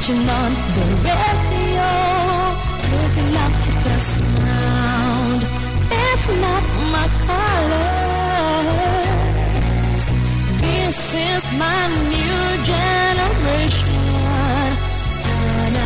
Switching on the radio, looking up to the sound. It's not my colors. This is my new generation. And I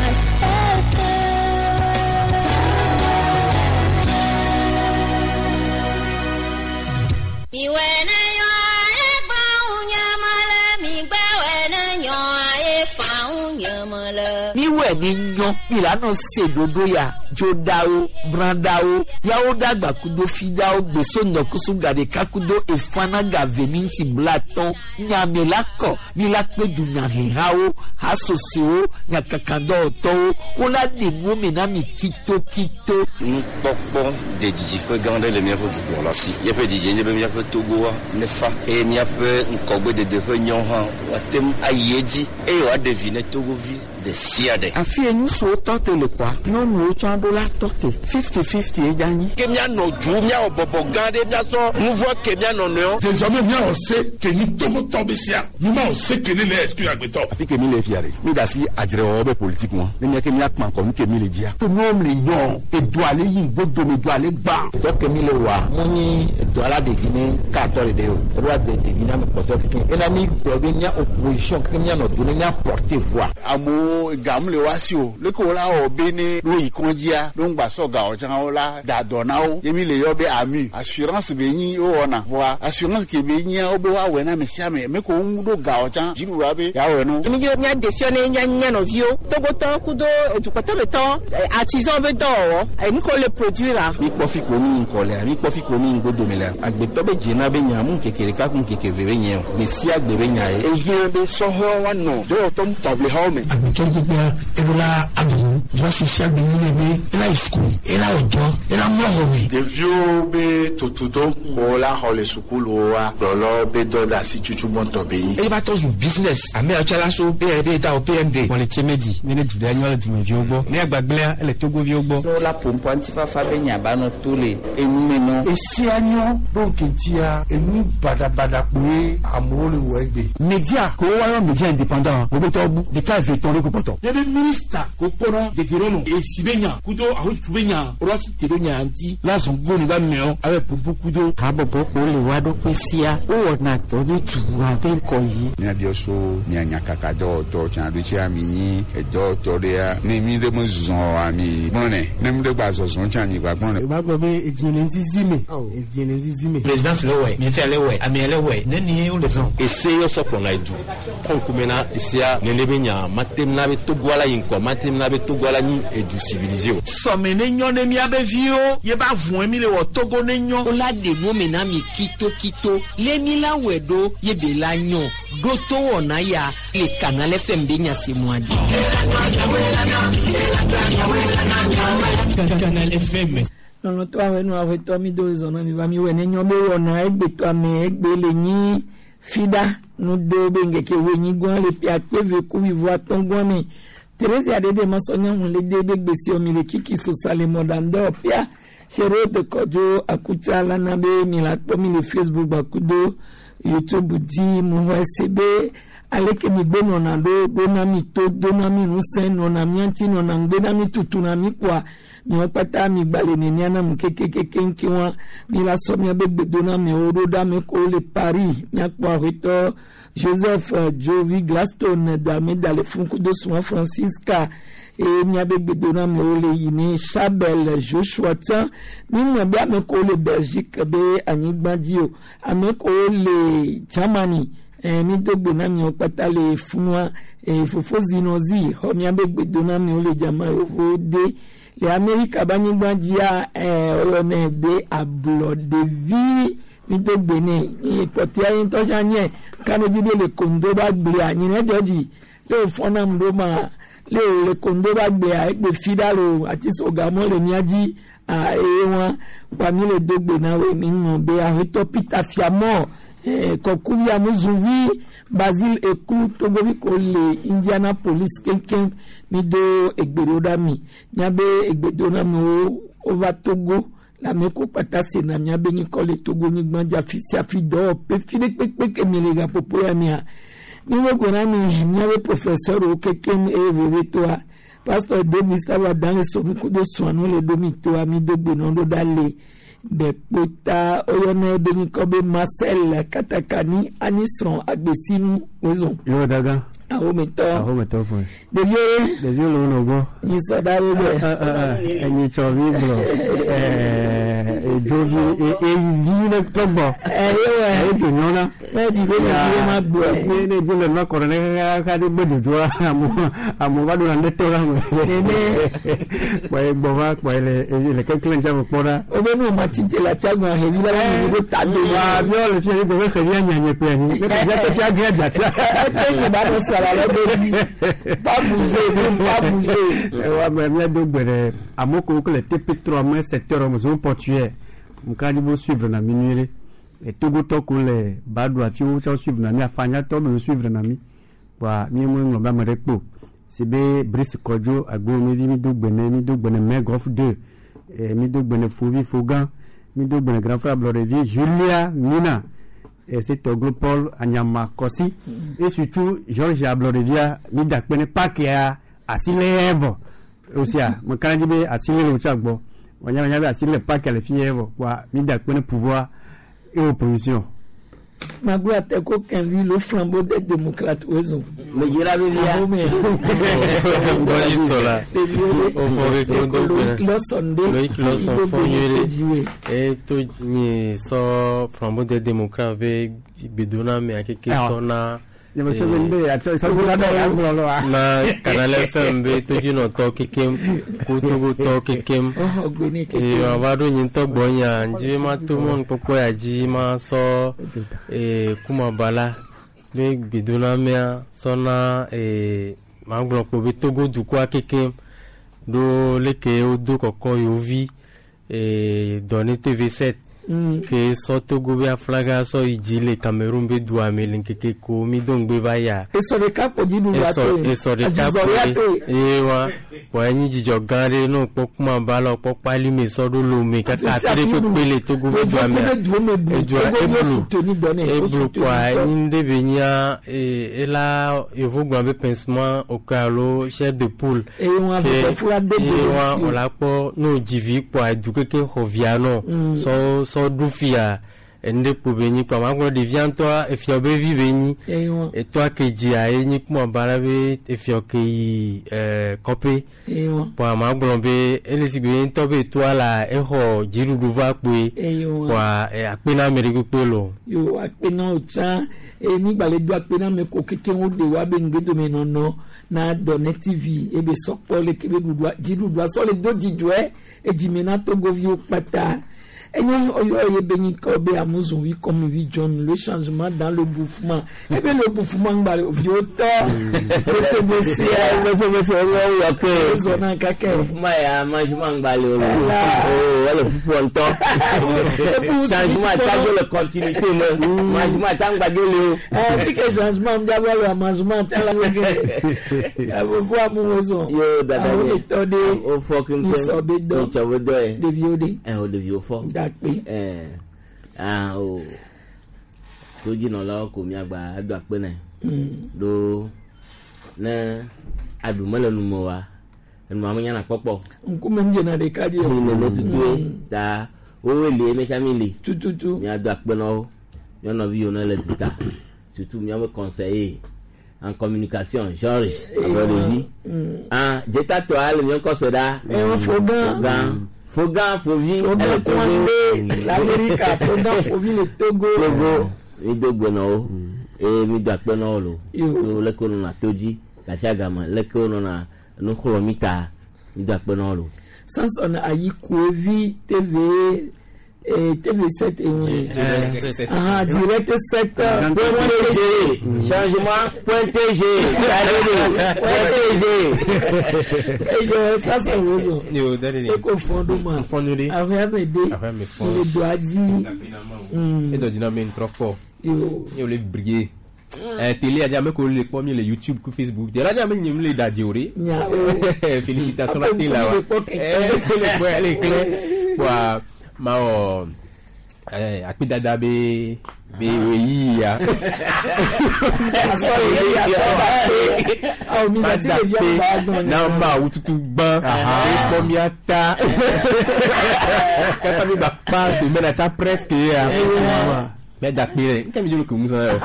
Miwɛ ni nyɔ milano se dodo ya dzodawo bradawo yawo dagba kudo fidawo gbeso nɔkusu gaɖeka kudo efanaga veminti blatɔn nyame la kɔ mi la kpe dunyahehawo hasosewo nyakakadɔwɔtɔwo wola ɖe nuwo me na mi kitokito. Nukpɔkpɔ de didiƒe gã aɖe le míaƒe dukplɔla si. Míaƒe didie nye be míaƒe Togoa nefa eye míaƒe ŋkɔgbedede ƒe nyɔ hã woate ŋu ayi edzi eye wòaɖe vi ne Togovi ɖe sia ɖe. Afi ye ŋutsuwo tɔ te le kɔa, nyɔnuwo tsã ɖo la tɔ te. 50-50 ye dza nyi. Ke míanɔ dzu, míawɔ bɔbɔ gã ɖe, míasɔ nu vɔ̃ ke mía nɔnɔewo. Désormais míawɔ se ke nyi Togotɔ be sia, mímawɔ se ke ne le exclure agbetɔ. Afi ke mi le fia ɖe, mi da asi adzrewɔwɔ be politique ŋua, ne mía ke míakpã kɔ nu ke mi le dzia. To nuwo le nyɔ, edoa le yi ŋgodome, edoa le gbã. Dɔ ke mi le wɔa, mu nyi edɔ la ɖevi ne katɔ ɖeɖe o, eɖo ade ɖevi na ame kpɔtɔewo kekeŋ. Ena mi gblɔ be mía opposition kekeŋ míanɔ do ne mía porter voix. Amewo gam le woa si o, leke wola wɔ be ne ɖo yi kɔndzia, ɖo ŋgba sɔ ga o tsã wola da dɔ na wo. Ye mi le yɔ be AMU, assurance be nyi wowɔna. Vɔa assurance ke be nyia wobe woawɔe na ame sia ame, ame ke wo ŋu ɖo ga o tsã dziɖuɖua be yeawɔe na wo. Mi dzi be míaɖe fiɔ ne mía mía nɔviwo, Togotɔwo kudo edukɔtɔmetɔwo, artisan be dɔwɔwɔ, enu ke wole produire-a. Mi kpɔ fi ko mi ŋkɔ lea, mi kpɔ fi ko mi ŋgodome lea, agbetɔ be dzena be nya mu ŋkeke ɖeka ku ŋkeke eve be nye o, gbe sia gbe be nya ye. Ehiã be sɔhɛwo woanɔ dɔwɔtɔ ŋutaʋlihawo me. Agbetɔ ɖe kpekpea, eɖo la aɖu nu. Droit social be nyi nɛ be ela yi sukulu, ela wɔ dɔ, ela mlɔ xɔ me. Ɖeviwo be tutudo ko la xɔ le sukuluwoa, kplɔlawo be dɔdeasi tutu gbɔntɔ be nyi. Eye va trɔ zu business. Ame yawo tsã la so be da wo PMD. Wɔ le tsie me dzi, ne ne du ɖea nyɔ le dumeviwo gbɔ. Ne agbagblẽa, ele Togoviwo gbɔ. Ne wola ƒoƒua ŋutifafa be nya ba nɔ to le enu me nɔ. Esia nyɔ ɖo ŋkeŋtia enu baɖabaɖa kpoe amewo le wɔ egbe. Media ko woayɔ media indépendant wo betɔ bu ɖeka eve tɔn ɖe ko kpɔtɔ. Ne be minista ko kpɔnɔ dedienɔnɔ esi be nya kudo ahotutu be nya woɖo asi te ɖo nya ŋuti la zɔn go ne ba meɔ abe ƒoƒo kudo. Habɔbɔ ko le woa ɖokui sia wowɔna dɔ ne dua be ŋgɔyiyi. Míabiɔ so mia nyakaka dɔwɔtɔ tsã ɖo tsia mi nyi edɔwɔtɔ ɖea ne mi ɖe me zɔ oa mi gblɔnɛ ne mi ɖe gba zɔzɔ tsã mi gba gblɔnɛ. Eva gblɔ be edzi le ŋzizi me, edzi le ŋzizi me. Présidence le wɔe, mietsia le wɔe, amea le wɔe, nenie wole zɔn. Ese yɔ sɔ kplɔna edu trɔ ŋkume na esea nene be nya mate na be Togoa la yi ŋkɔ mate na be Togoa la nyi edu civilisé o. Sɔme ne nyɔ ne míabe viwo ye ba vɔe mi le wɔ Togo ne nyɔ. Wola ɖe nuwo me na mi kitokito lé mi la wɔe ɖo ye be la nyɔ ɖo to wɔna ya le Canal FM be nyasemɔa dzi. Canal FM. Lɔlɔtɔ awɛnu awɛtɔ mi do zɔn na mi va mi wɛ ne nyɔ be wɔna egbetɔ ame egbe le nyi fida nu do be ŋkeke wo nyi gɔn le ƒe akpe ve ku wuivo atɔ̃ gɔn me. Teresa ɖe ma sɔ nyɔnu le de be gbesi mi le kiki sosa le mɔɖaŋdɔ ƒia seɖo de kɔdzo akutsa la na be mi la kpɔ mi le Facebook gbakudo YouTube dzi mu xɔ ese be aleke mi gbe nɔna ɖo ɖona mi to dona mi ŋusẽ nɔna mía ŋuti nɔna ŋugbe na mi tutuna mi kɔa miawo kpata mi gba le nenia na mu kekekeke ŋke wa mi la sɔ miabe gbedonamɛwo ɖo ɖe ame kewo le Paris miakpɔ aƒetɔ Joseph Jovi Glaston Dalmeda le fun kudo sùn Francisca eye miabe gbedonamɛwo le yi ne Chabel Joshua tsã mi ŋlɔ be ame kewo le Belgique be anyigba dzi o ame kewo le Germany mi do gbe na miawo kpata le funua fofo zinozi xɔ miabe gbedonamɛwo le dzama yevowo de le Amerika be anyigba dzia woyɔnɛ be ablɔɖevi mi do gbe nɛ kpɔtɛa ye ŋutɔ tsã nye kanodzi be le kondo be agblea nyinɛ dzɔ dzi le wòfɔ nam ɖo ma le le kondo be agblea egbe fi ɖa lo ati sogamɔ le mía dzi eye wa kpa mi le do gbe na woe mi ŋlɔ be aƒetɔ Peter Fiamɔ kɔkuvi amuzuvi Basile Eku Togovi ko le Indianapolis keŋkeŋ mi do egbe ɖo ɖa mi miabe egbedoname wova Togo le ame ko kpata sena miabe nyikɔ le Togo nyigba dzi afi sia afi dɔwɔƒe fi ɖe kpekpe ke mi le gaƒoƒo ya mia. Mi wo gbe na mi miabe professeur wo kekem eye veve toa. Pasteur do Gustave Adan le sonu kudo sɔnu le ɖo mi toa mi do gbe nɔ ɖo ɖa le bɛkpota oyɔnɛ be nyikɔ be Marcel Katakani anisrɔ̃ agbesinu wozɔn. Yóò daga. Ahometɔ. Ahometɔ fún. Ɖeviwo ye. Ɖeviwo le wo nɔ gbɔ. Nyisɔ ɖa wo gbɔ. Enyitsɔ mi gblɔ. Edzovi eyivi ne tɔ gbɔ. Eyewe. Edzo nyɔna. Ne di be ɖeviwo ma gbɔ. Ne ne dzo le nua kɔrɔ ne kaka de gbe dzodzroa amewo amewo va ɖo na ne tɔ la me. Nene. Kpɔe gbɔ va kpɔe le le keklẽ dza me kpɔ ɖa. O be nu ma ti te la tia gbɔn xevi la mi do ta do. Wa miɔ le fia mi gbɔ be xevi anyanye kple anyi. Ne xevia tɔ sia gã dzatia. Ete nye ba nɔ sara le do dzi. Ba bouger ba bouger. Wa me mia do gbe ɖe amewo ko le TP3 me secteur me zone portuaire. Nka dzi bo suivre na mi nyuie ɖe. Togotɔ ko le Badou afi wo tsɔ suivre na mi afanyatɔ be suivre na mi. Wa mi me ŋlɔ be ame ɖe kpo. Si be Brice Kɔdzo agbomevi mi do gbe ne mi do gbe ne Main Golf 2 mi do gbe ne Fovi Fogan mi do gbe ne Grand Frère Ablɔɖevi Julia Mina c'est Toglo Paul Anyama Kɔsi et surtout Georges Ablɔɖevia mi da kpe ne pakia asi le vɔ osia me ka dzi be asi le le wotsa gbɔ wònya wònya be asi le pakia le fi yɛ vɔ wa mi da kpe ne pouvoir et opposition. Magbo ateko kenvi le flambeau des démocrates ozo. Me yira be via. Bɔyi sɔla. O fɔ ke ko do Loïc Lawson de. Loïc Lawson fɔ nyuie ɖe. E to nye sɔ flambeau des démocrates be gbedona me akeke sɔ na. Na Canal FM be todzinɔtɔ kekem kotogotɔ kekem eye wòava ɖo nye ŋutɔ gbɔnyea ŋdzi be mato mɔnukpɔkpɔ ya dzi masɔ kumabala be gbedonamea sɔna magblɔ kpo be Togo dukɔa kekem ɖo leke wodo kɔkɔ yewo vi dɔne TV7 ke sɔ Togo be aflaga sɔ yi dzi le Cameroun be dua me le ŋkeke ko mi do ŋgbe va yia. Esɔ ɖeka kpo dziɖuɖua toe. Esɔ ɖeka kpo ye wa wa enyi dzidzɔ gã ɖe ne wokpɔ kumaba la wokpɔ kpalime sɔ ɖo Lome kaka afi ɖe kpekpe le Togo be dua mea. Edua eblu eblu kpoa enyi nu ɖe be nyia ela yevu gblɔ be pincement oke alo chair de poule. Eye wa wòla kpɔ ne wòdzi vi kpoa edu keke xɔ via nɔ sɔ sɔ ɖu fia enu ɖe kpo be nyi kpoa magblɔ ɖevia ŋutɔa efiɔ be vi be nyi etɔa ke dzia ye nyi kumaba la be efiɔ ke yi kɔƒe kpoa magblɔ be ele si gbe ye ŋutɔ be etoa la exɔ dziɖuɖu va kpoe kpoa akpe na ame ɖe kpekpe lo. Yo akpe na wo tsã eye mi gba le do akpe na ame ko keke wo ɖe wa be ŋgbedome nɔnɔ na Dɔnɛ TV ebe sɔkpɔ le ke be ɖuɖua dziɖuɖua sɔ le do dzidzɔe edzime na Togoviwo kpata. Enye oyo ye be nyikɔ be amuzunvi comme vi John le changement dans le bouffement. Ebe le bouffement ngba vieux tɔ. Bese bese bese bese oyo yo ke. Zona kake. Bouffement ya mangement ngba le o. Oh wale fufu ntɔ. Changement ta jo le continuité me. Mangement ta ngba jo le o. Eh puis que changement ngba le mangement ta la ke. Abo fo amuzo. Yo dada ye. O fo kin kin. So be do. O be do e. De vieux de. Eh o de vieux fo. Dakpe. Ah o. Todzinɔlawo ko miagba ado akpe nɛ. Ɖo ne aɖu mele nu me oa, enua menyana kpɔkpɔ. Ŋkume ŋdzena ɖeka dzi o. Nene tutue ta wowoe li eme tsã mi li. Tututu. Miado akpe na wo. Mía nɔvi yiwo ne le duta. Surtout míaƒe conseiller en communication Georges Ablɔɖevi. Ah dzetatɔa le míaƒe kɔse ɖa. Fogan. Fogan Fovi. Fogan Kouandé l'Amérique Fogan Fovi le Togo. Togo mi do gbe na wo eye mi do akpe na wo lo. Yo leke wonɔna to dzi gasiagame leke wonɔna nuxlɔ̃ mi ta mi do akpe na wo lo. Samson Ayikuevi TV TV7 et direct 7 point tg changement point tg point tg eyo Samson wozo yo daddy eko fondo ma fondo de ahwe me de le doit di eto dina me ntrɔkpɔ yo yo le briller télé a me ko le kpɔ mi le YouTube ku Facebook télé a me nyim le dadi o de félicitations la télé la wa le kpɔ le klɛ wa ma wɔ akpedada be Be ɣeyiɣi ya. Asɔ ɣeyiɣi asɔ da pe. Awo mi Ma dati da ɖevia pe gba gbɔn na Mawu tutu gbã. Ekpɔ mía ta. Kata mi gba kpa semaine tsa presque ya. Mía da kpe ɖe. Nke mi dzo ke mu zã yɔ.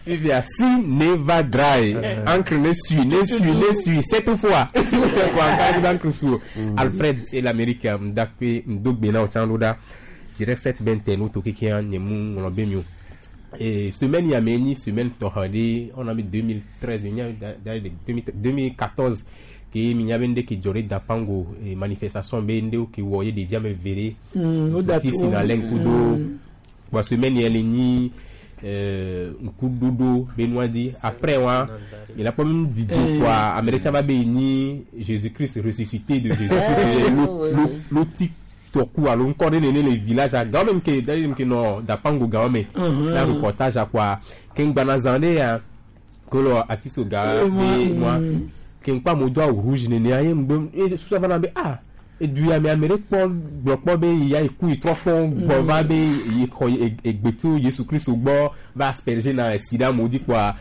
Fifia si never dry. Encre ne suit, ne suit, ne suit. Cette fois. Quoi, encore d'encre sous. Alfred et l'Amérique mdakpe mdogbe na otsan loda. Direct 7 21 to keke nye mu ŋlɔ be mi o. Et semaine ya me nyi semaine tɔxɔ ɖe on a mis 2013 mi nya da de 2014 ke mi nya be ŋɖe ke dzɔ ɖe Dapango et manifestation be ŋɖewo ke wɔ ye ɖevia me ve ɖe. O da Ti to. si na lɛ ŋku do. Wa semaine ya le nyi ŋkuɖoɖo be nua di après wa il a pas même didi quoi ame ɖe tsa va be nyi Jésus Christ ressuscité de Jésus Christ lo ti tɔku alo ŋkɔ ɖe nene le village a gawo me ke da ɖe ke nɔ Dapango gawo me na reportage a quoi ke ŋgbana zã ɖe ya kolo atiso ga be moi ke ŋkpa mo do awu rouge nene aye ŋgbe e susu va na be ah edu ya me ame ɖe kpɔ gblɔ kpɔ be ya yi ku yi trɔ fɔ gbɔ va be yi xɔ egbe tso Yesu Kristo gbɔ va asperger na esi ɖe amewo dzi kpɔa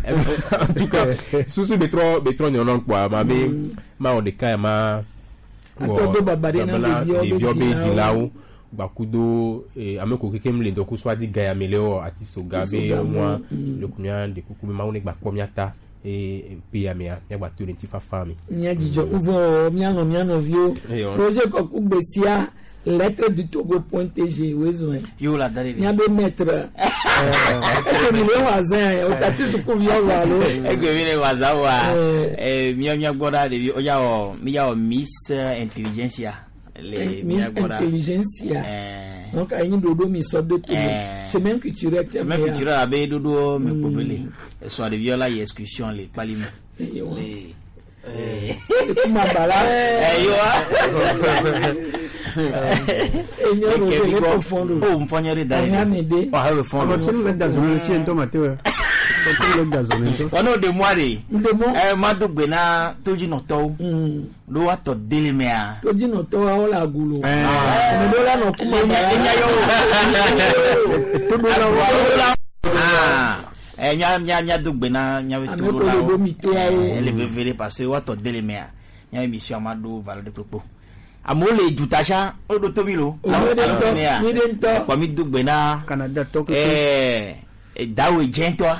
en tout cas susu be trɔ be trɔ nyɔnɔ kpɔa ma be ma wɔ ɖeka ya ma Atɔ do baba ɖe na ɖeviawo be ɖeviawo be dzilawo. dzilawo gbakudo ame ko kekem le ŋdɔkusu adi ga ya me le wɔ atisoga be Atisoga, mɔa le ku mía ɖe kuku be Mawu ne gba kpɔ mía ta eye pe ya mea míagba to le ŋutifafa me. Mía dzidzɔ uvɔ míalɔ̃ mía nɔviwo. Eyɔ. Roger Kɔku Gbesia lettre du Togo point tg wezɔn. Yo la da de. Míabe maître. Eke mi le wɔ azã o tati sukuviwo wɔ alo. Egbe mi le waza wa. Mía mía gbɔ ɖa ɖevi o ya wɔ mi ya wɔ Miss Intelligentsia le Miss mía gbɔ ɖa. Intelligentsia. Donc ayi ɖoɖo mi sɔ de Togo. Semaine culturelle tɛ Semaine culturelle abe ɖoɖo me kpo be le. Esɔa ɖeviwo la yi excursion le kpali me. Le. Kuma bala. Eyoa. Enyo Roger ne ko fɔn do. O nfɔnyɛ de da ye. Ɔhɛn de. Ɔhɛn bɛ fɔn do. Continue le gazon le fie ŋutɔ ma te wɔ. Continue le gazon ŋutɔ. Wɔn n'o de mɔ de. Ɛ ma do gbe na todzinɔtɔwo. Ɖo woatɔ dele mea. Todzinɔtɔwo awo le agulo. Ame ɖewo la nɔ kuma bala. Toɖolawo. Ɛ mía mía mía do gbe na míabe Ame ko le toɖolawo. ɖo mi toawo. Ele veve ɖe parce que woatɔ dele mea. Míabe mission ma ɖo valeur de kpekpe. Amewo le duta tsã woɖo tobi lo. Mi ɖe ŋutɔ, mi ɖe ŋutɔ. Kpɔ mi do gbe na. Canada tɔ Ɛɛ dawe dzɛntɔa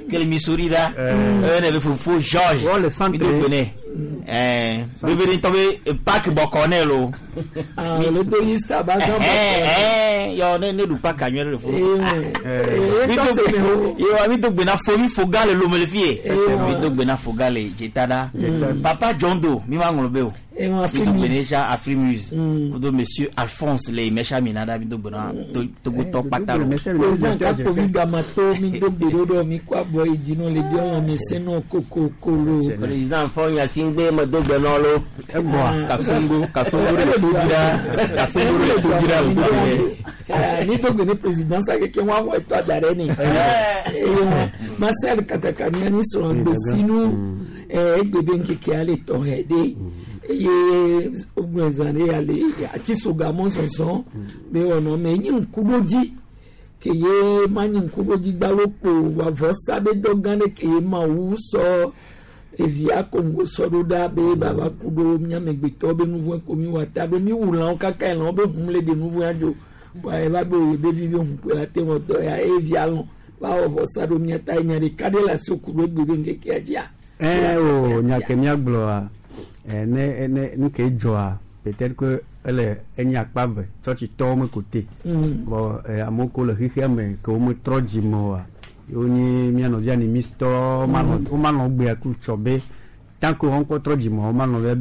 kele Missouri ɖa. Eye ne be fofo George. Mi do gbe nɛ. Ɛɛ veve ɖe ŋutɔ be park bɔkɔ nɛ lo. Ah, le do Easter ba zã bɔkɔ. Ɛɛ yɔ ne ne ɖu park anyuie ɖe le fo. Ee, tɔ se me ho. Yewa mi do gbe na fomi foga le lome le fie. Mi do gbe na foga le dzeta ɖa. Papa John Doe mi ma ŋlɔ be o. Ewa Mi do gbe ne Afrimus. tsa Afrimus. Kudo Monsieur Alphonse le mɛsa mina ɖa mi do gbe na Togotɔ kpata lo. Président Kakovi Gamato mi do gbe ɖo ɖɔ mi kɔ abɔ yi dzi nɔ le biɔ lãme sẽ nɔ kokokolo. Président Fɔnya Singbe me do gbe nɔ lo. Egbɔa. Kasongo kasongo ɖe le to dzi ɖa kasongo ɖe le to dzi ɖa le to dzi ɖe. Mi do gbe ne président sa keke wọn axɔ etɔ da ɖe ni. Eye Marcel Kataka miani srɔ̃ gbesinu egbe be ŋkekea le tɔxɛ ɖe eye wogblɔ zã ɖe ya le atisoga mɔzɔzɔ be wɔnɔ me enye ŋkuɖodzi ke ye ma nye ŋkuɖodzi gbalo kpo vɔsa be dɔ gã ɖe ke ye Mawu sɔ evia kongo sɔ ɖo ɖa be baba ku ɖo míamegbetɔwo be nu vɔe ko mi wɔ ta ɖo mi wu lãwo kaka lãwo be hum le ɖe nu vɔe adzo bɔn eva be oye be vi be hum koe la te wɔ dɔ ya evia lɔn va wɔ vɔsa ɖo mía ta nya ɖeka ɖe le asi ku ɖo egbe be ŋkekea dzia. Ɛ o nya ke míagblɔa ne ne nu ke dzɔa peut-être que ele enye akpa ve tsɔtsitɔwo me ko te. Bɔn amewo ko le xexea me ke wometrɔ dzime oa wonye mía nɔvia animistɔwo womalɔ̃ gbea ku tsɔ be tant que woŋkɔ trɔ dzime womalɔ̃ be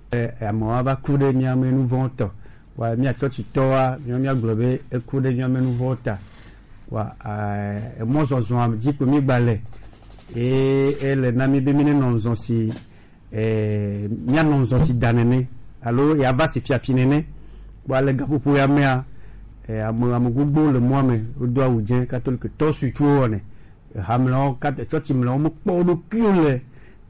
be amewo ava ku ɖe míame nu vɔ̃ tɔ wa mía tsɔtsitɔwoa míawo míagblɔ be eku ɖe míame nu vɔ̃ ta wa emɔzɔzɔa dzi ko mígba le eye ele na mi be mi nenɔ ŋzɔ si míanɔ ŋzɔ si da nene alo yava si fiafi nene wa le gaƒoƒo ya mea ame ame gbogbo le mɔa me wodo awu dzẽ katoliketɔ suitsuwo wɔnɛ hamlewo katã tsɔtsimlewo mekpɔ wo ɖokuiwo le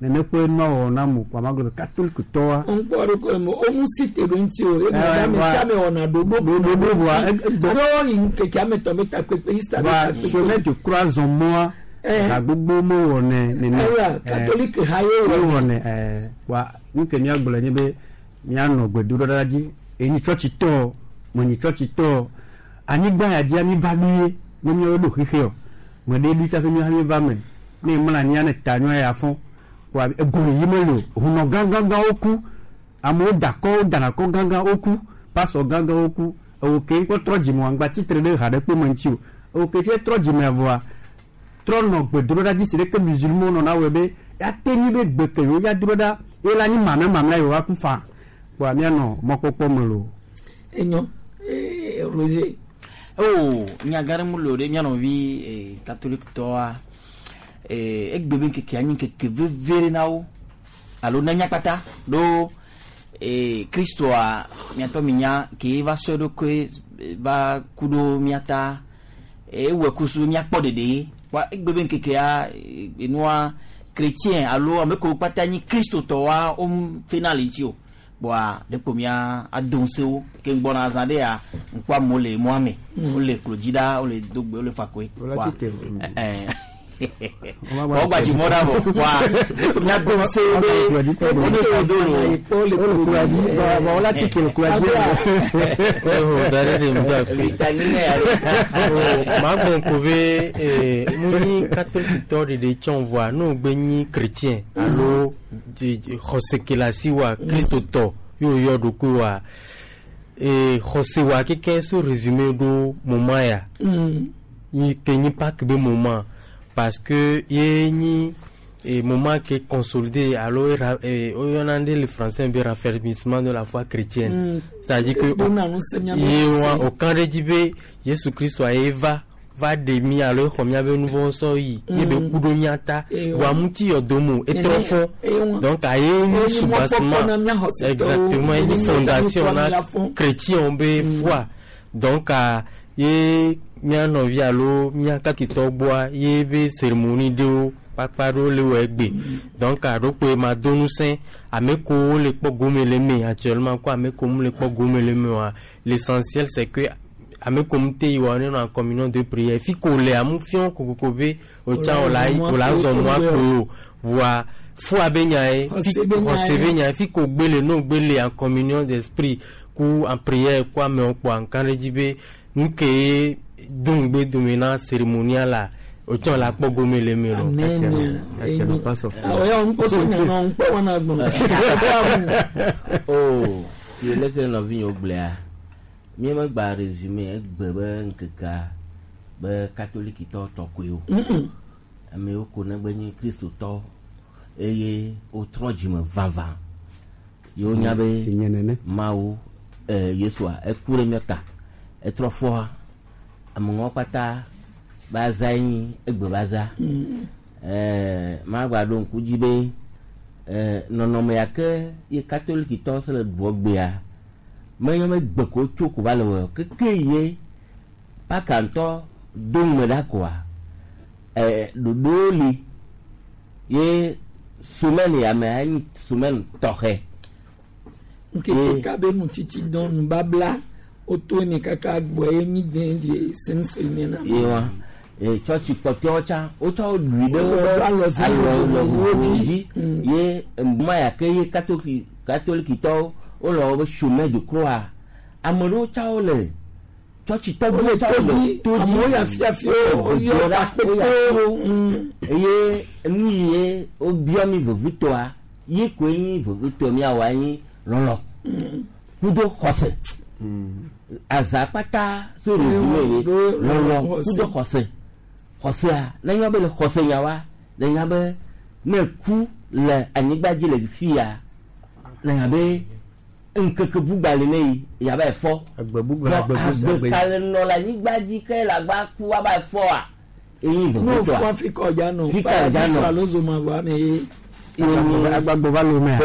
Nene ƒe nua wɔwɔ na mo kpa ma gblɔ be catholique tɔwa. Ŋkpɔ ɖe ko mo o mu si te ɖo ŋuti o egbe ɖe ame sia ame wɔna ɖoɖo ɖoɖo vɔa egbe alo yi ŋkeke ame tɔ be takpekpe Easter be va takpekpe. chemin de croix zɔn mɔa ha gbogbo mo wɔnɛ nene. Eya catholique ha ye wɔnɛ. Wɔnɛ ɛɛ wa nu ke míagblɔ nye be míanɔ gbedoɖoɖa dzi enyi tsɔtsi tɔ menyi tsɔtsi tɔ anyigba ya dzia mi va ɖo ye ne míawo ɖo xexe o me ɖe ɖo tsaƒe míawo va me ne mla anyia ne ta nyɔa ya fɔ wa ego yi mele o hunɔ gãgãgãwo ku amewo da kɔ wo dana kɔ gãgã wo ku pasɔ gãgãwo ku ewo ke ŋkɔ trɔ dzime wa ŋgba tsitre ɖe ha ɖe kpe me ŋuti o ewo ke tse trɔ dzime vɔa trɔ nɔ gbedoɖoɖa dzi si ɖeke musulman nɔna wɔe be ate nyi be gbe ke yewo ya do ɖa ye la nyi mamlɛ mamlɛ yewo aku fa kpoa míanɔ mɔkpɔkpɔ me lo. Enyo Roger. O nyagã ɖe mu le o ɖe mía nɔvi catholique tɔa egbe be ŋkeke anyi ŋkeke veve ɖe na wo alo na mía kpata ɖo kristoa miatɔ mi nya ke va sɔe ɖokui va ku ɖo mía ta ewɔe kusu míakpɔ ɖeɖe wa egbe be ŋkekea enua chrétien alo ame kewo kpata nyi kristotɔwoa wo fena le ŋuti o kpoa ɖekpo mía ado ŋusẽ ke ŋgbɔna azã ɖe ya ŋkpɔ amewo le mɔa me wole klo dzi ɖa wole do gbe wole fa koe Wole tsi te. wọ́n gba jùmọ̀ dà bọ̀ wa mía do ŋusẽ wo be wo ne sɔ do lo. Magbɔn ko be mu nyi catholique tɔ ɖeɖe tsɔn voa n'o gbe nyi chrétien alo xɔsekelasi wa kristotɔ y'o yɔ ɖokui wa xɔse wa keke so résumé ɖo moment ya nyi ke nyi Pâques be moment parce que ye nyi moment qui est consolidé alo oyɔna ɖe le français be raffermissement de la foi chrétienne. C'est-à-dire que ye wa o kan ɖe dzi be Yesu Kristo ye va va ɖe mi alo exɔ miabe nu vɔ̃ sɔ yi ye be ku ɖo mía ta voa ŋuti yɔdom o etrɔ fɔ donc aye nyi soubassement exactement ye nyi fondation na chrétien be foi donc ye mía nɔvi alo mía kakitɔ gbɔa ye be cérémonie ɖewo kpakpa ɖewo le wɔ egbe donc aɖokpoe ma do ŋusẽ ame kewo le kpɔ gome le me actuellement ko ame kewo mu le kpɔ gome le me oa l'essentiel c'est que ame kewo mu te yi wa ne nɔ en communion de prière fi ko le amu fiɔ kokoko be o tsã o la o la zɔ mɔa kpoe o voa fua be nya ye xɔse be nya ye fi ko gbe le n'o gbe le en communion d'esprit ku en prière ku amewo kpɔa nka ɖe dzi be nu ke ye do ŋugbe dome na cérémonie la o tsã la kpɔ gome le me lo. Amen. O si leke nɔvinyewo gblɔa míemegba résumé egbe be ŋkekea be katolikitɔ tɔ koe o amewo ko negbe nye kristotɔ eye wotrɔ dzime vavã yewo nya be Mawu Yesua eku ɖe mía ta etrɔ fɔa ameŋɔ kpata ba za nyi egbe ba za magba ɖo ŋku dzi be nɔnɔme ya ke ye katolikitɔ se le ɖuɔ gbea menye be gbe ko tso ko va le wɔ keke ye paka ŋutɔ do ŋme ɖa koa ɖoɖowo li ye semaine ya me enyi semaine tɔxɛ. Nkeke ka be nutsitsi dɔn nubabla woto eme kaka gbɔ ye mi den di sɛnsɛn na. Ye wa tsɔtsi kpɔtɔewo tsã wotsɔ wo ɖui ɖe woƒe alɔ dzi ye ma ya ke ye katolikitɔwo wole woƒe chemin de croix ame ɖewo tsã wole tsɔtsitɔ gbɔ tsã wole to dzi amewo ya fiafia woyɔ akpekpewo. Eye nu yi wobiɔ mi vevitɔa ye koe nyi vevitɔ miawɔ anyi lɔlɔ kudo xɔse aza kpata so résumé ye lɔlɔ kudo xɔse xɔsea ne nya be le xɔse nya wa ne nya be ne ku le anyigba dzi le fia ne nya be ŋkeke bugba le ne yi yaba efɔ agbe ka le nɔ le anyigba dzi ke le agba ku aba efɔa eyi n'o vevitɔa fɔ fika ɔdza nɔ Fika ɔdza nɔ. alo zoma vɔ ame ye. Agbagbo va lo mea.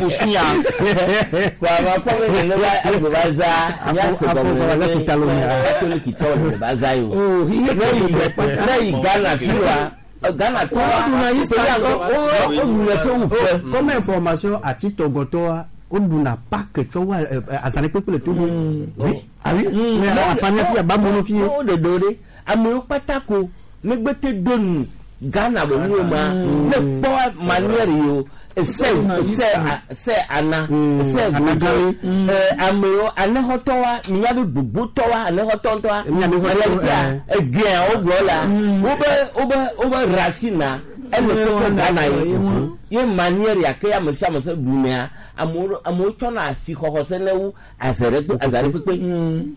Busunya. Kò àwọn akọ́wé ní ló bá agbe bá za ní àsìkò ní katolikitɔ lè bá za yìí o. Lẹ́yìn Ghana fi wa Ghana tɔ Woɖuna Easter tɔ. woɖuna se wu ƒe. Comme information atitɔgɔtɔa woɖuna Pâques tsɔ wa azã ɖe kpekpe le Togo. Oui. Ah oui. Mais afanya fi abamono fi. Wo ɖeɖe wo ɖe amewo kpata ko megbete do nu Ghana be nuwo ma ne kpɔ manière yi o ese ese se ana ese gbogbo amewo anexɔtɔwa miabe gbogbotɔwa anexɔtɔntɔwa réalité egea wo gblɔ la wobe wobe wobe racine ele keke Ghana ye ye manière ya ke ame sia ame se ɖunea amewo amewo tsɔna asixɔxɔ se ne wu aze ɖe kpe aza ɖe kpekpe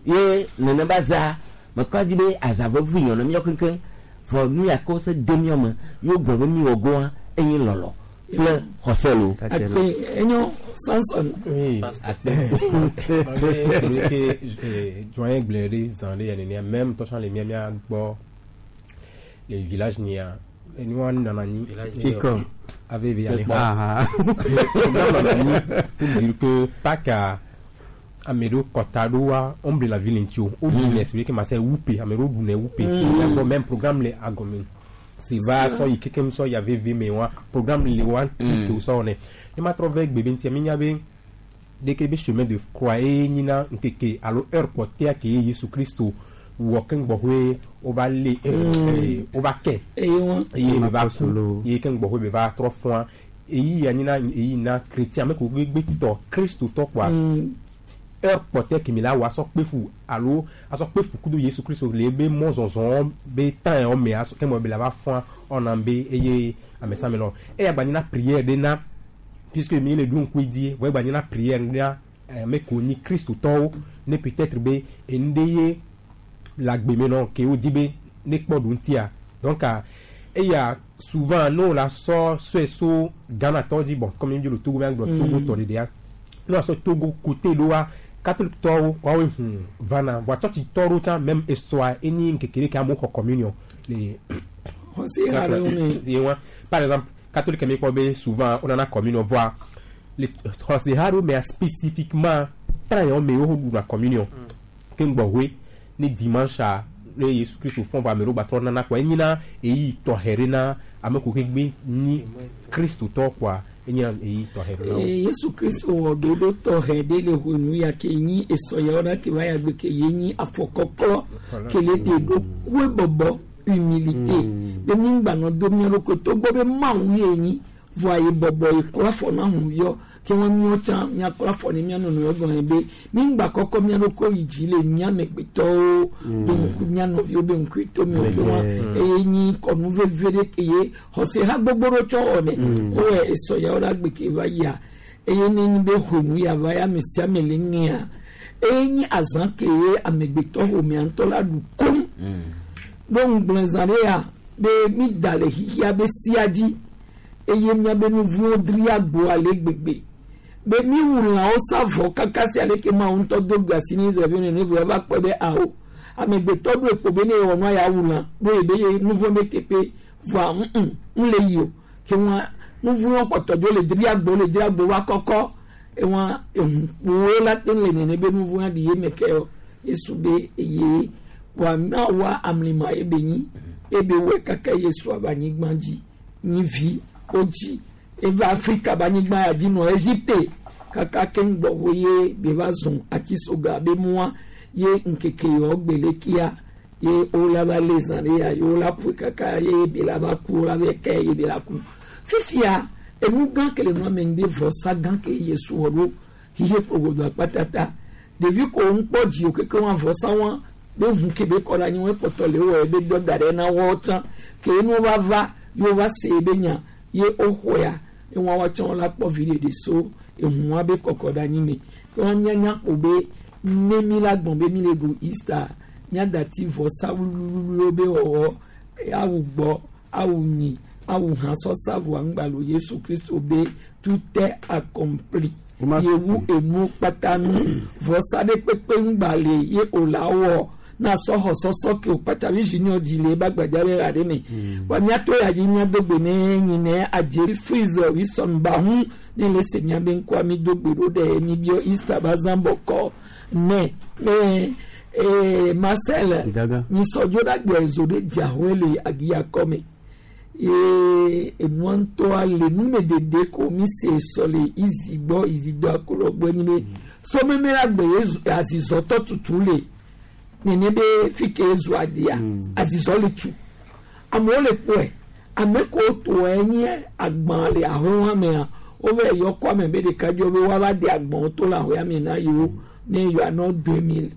ye nenema za mekɔ dzi be aza vevi nyɔ ne míɔ keŋkeŋ vɔ nu ya ke wose de míɔ me yewo gblɔ be míwɔ goa enye lɔlɔ kple xɔse lo. Akpe enyo Samson. Oui. C'est vrai que doyen gblɔe ɖe zã ɖe ya nenea même tɔtsã le mía mía gbɔ le village nia enua nana anyi Kikɔ. ave ve yani Ah, ah. programme nana anyi pour dire que Pâques ame ɖewo kɔta ɖewoa womble la ville ŋuti o woɖunɛ c'est vrai que ma se wupe ame ɖewo ɖunɛ wupe mía gbɔ même programme le agɔme si va sɔ yi kekem sɔ yi aveve me wa programme le wa ŋuti ke wosɔ wɔnɛ ne ma trɔ vɛ gbe be ŋutia mi nya be deke be chemin de croix ye nyina ŋkeke alo heure kpɔtɛa ke ye Yesu Kristo wɔ keŋ gbɔxɔe wova le wova kɛ Eye wɔn. eye be va ku ye keŋ gbɔxɔe be va trɔ fɔa eyi ya nyina eyi na chrétien ame ko gbegbe tɔ Kristo tɔ kɔa heure kpɔtɛ kemi la wɔ asɔ kpe fu alo asɔ kpe fu kudo Yesu Kristo le ebe mɔzɔzɔ be temps yɔ me asɔ keŋ be la va fɔa ɔna be eye ame sia ame lɔ eya gba nyina prière ɖe na puisque mi le ɖo ŋku dzi vɔ egba nyina prière na ame ko nyi kristotɔwo ne peut-être be enu ɖe ye le agbe me nɔ ke wodi be ne kpɔ ɖu ŋutia donc eya souvent ne wo la sɔ sɔe so Ghana tɔwo dzi bon comme mi le Togo mi gblɔ Togo tɔ ɖeɖea ne wa sɔ Togo côté ɖoa catholique tɔwo woawoe hu vana voa tsɔtsi tɔ ɖewo tsã même esɔa enyi ŋkeke ɖe ke amewo xɔ communion le Xɔse ha ɖewo me. ye wa par exemple catholique mi kpɔ be souvent wonana communion voa le xɔse ha ɖewo mea spécifiquement train yawo me wo ɖuna communion ke ŋgbɔ hoe ne dimanche a ne Yesu Kristo fɔn vɔ ame ɖewo gbatrɔ nana kɔa enyina eyi tɔxɛ ɖe na ame ko ke gbe nyi kristotɔ kɔa enyina eyi tɔxɛ ɖe na wo. Yesu Kristo wɔ ɖoɖo tɔxɛ ɖe le ʋɔnu ya ke nyi esɔyawo ɖa ke va ya gbe ke ye nyi afɔkɔklɔ ke le ɖe ɖo kue bɔbɔ humilité be mi ŋgbanɔ do mía ɖokui togbɔ be Mawu ye nyi vɔa ye bɔbɔ ye klɔ afɔ na hunviɔ ke wɔn míawo tsã míaklɔ afɔ ne mía nɔnɔewo gɔme be mi ŋgba kɔkɔ mía ɖokui yi dzi le mía amegbetɔwo be ŋku mía nɔviwo be ŋku to mi o ke wɔn eye nyi kɔnu veve ɖe ke ye xɔse ha gbogbo ɖo tsɔ wɔ nɛ wowɔ esɔyawo ɖe agbe ke va yia eye ne nyi be ʋenu ya va ya ame sia ame le ŋea eye nyi azã ke ye amegbetɔ ƒomea ŋutɔ la ɖu kom ɖo ŋugblẽ zã ɖe ya be mi da le xixia be sia dzi eye miabe nuvuwo dri agbo ale gbegbe be mi wu lãwo sa vɔ kaka sia leke Mawu ŋutɔ do gbe asi ne Israelviwo nene vɔ eva kpɔe be awo amegbetɔ ɖo ekpo be ne yewɔ nua ya wu lã ɖo ye be ye nuvɔ be teƒe vɔa ŋu ŋu le yi o ke wɔn nuvuwo kpɔtɔ dzo le dri agbo le dri agbo va kɔkɔ ewɔn ehunkpowo la te le nene be nuvɔ ɖi ye me ke o Yesu be eye kpoa Mawua amlima ebe nyi ebe wɔe kaka Yesu ava anyigba dzi nyi vi wodzi eva Afrika be anyigba ya dzi nɔ Egypte kaka keŋ gbɔ wo ye be va zɔn atisoga be mua ye ŋkeke yawo gbe le kia ye wola va le zã ɖe ya ye wola ƒoe kaka ye be la va ku wola va kɛ ye be la ku fifia enu gã ke le nua me ŋgbe vɔsa gã ke Yesu wɔ ɖo xixe kpogodo akpatata ɖevi ko ŋkpɔ dzi o keke wɔn avɔsa wɔn be ʋu ke be kɔ ɖe anyi wɔn kpɔtɔ le wɔ be dɔ da ɖe na wɔwo tsã ke nu va va ye wova se be nya ye woxɔa ye wɔn woatsã wɔn la kpɔ vi ɖeɖe so ehuwa be kɔkɔ ɖe anyi me ke wɔn mianya kpo be ne mi la gbɔn be mi le ɖu Easter miadati vɔsa wluwluwluwo be wɔwɔ awu gbɔ awu nyi awu hã sɔsa voa ŋgbalo Yesu Kristo be tout est accompli yewu enu kpata nu vɔsa ɖe kpekpe ŋgba le ye o la wɔ na sɔxɔ sɔsɔ ke o kpata vi junior dzi le ebe agbadza ɖe la ɖe me wa miato ya dzi miado gbe ne nyi ne adzeri freeze wilson bahu ne le se miabe ŋkɔa mi do gbe ɖo ɖe mi biɔ Easter ba zã bɔkɔ ne ee ee Marcel nyisɔdzo ɖe agbe ezo ɖe dzahoe le agiyakɔ me. Ye enua ŋutɔa le numeɖeɖe ko mi se sɔ le izi gbɔ izi do akolɔ gbɔ enyi be sɔmeme la gbe ye azizɔtɔ tutu le nene be fi ke ezu adia azizɔ le tu amewo le kpɔe ame ko tɔe nye agbã le ahoa mea wove yɔ kɔ ame be ɖeka dzɔ be woava ɖe agbãwo to le ahoa me na yewo ne yewoanɔ 2000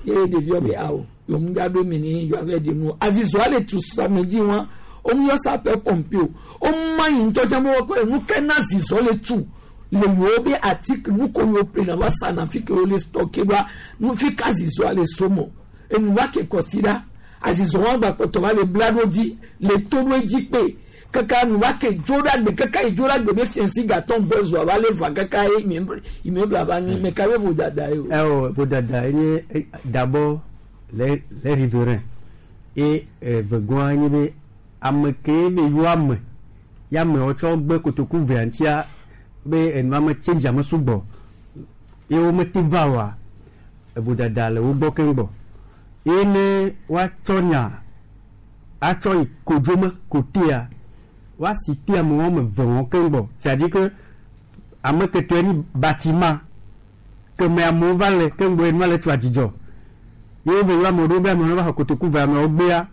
ye ɖeviwo be awo yewo ŋdza ɖo eme ne yewoava ɖe nu azizɔa le tu samedi wa womu yɔ sapeur pompier o woma yi ŋutɔ tsã be woakɔ nu ke na azizɔ le tu le yewo be article nu ko yewo ƒle na va sa na fi ke wo le stocke ɖoa nu fi ke azizɔa le somɔ enu va ke kɔsi ɖa azizɔ wa gba kpɔtɔ va le bla ɖo dzi le to ɖo edzi kpe kaka nu va ke dzo ɖa gbe kaka yi dzo ɖa gbe be fiɛnsi gatɔn gbɔ zɔa va le va kaka ye immeuble va nyi mɛ ka be vodada ye o. Ɛ vodada ye nye d'abord les riverains et vegɔa nye be ame ke be yɔ ame ya amewo tsɔ gbe kotoku vea ŋutia be enua me change ame sugbɔ ye wo mete va oa vodada le wo gbɔ keŋ gbɔ ye ne woatsɔ nya atsɔ yi kodzome kotea woasi te ame wɔme eve wɔn keŋ gbɔ c'est à dire que ame ketɔe nyi bâtiment keme amewo va le keŋ gbɔ enua le tso adzidzɔ ye wo ve yɔ amewo ɖo be amewo va xɔ kotoku ve amewo gbea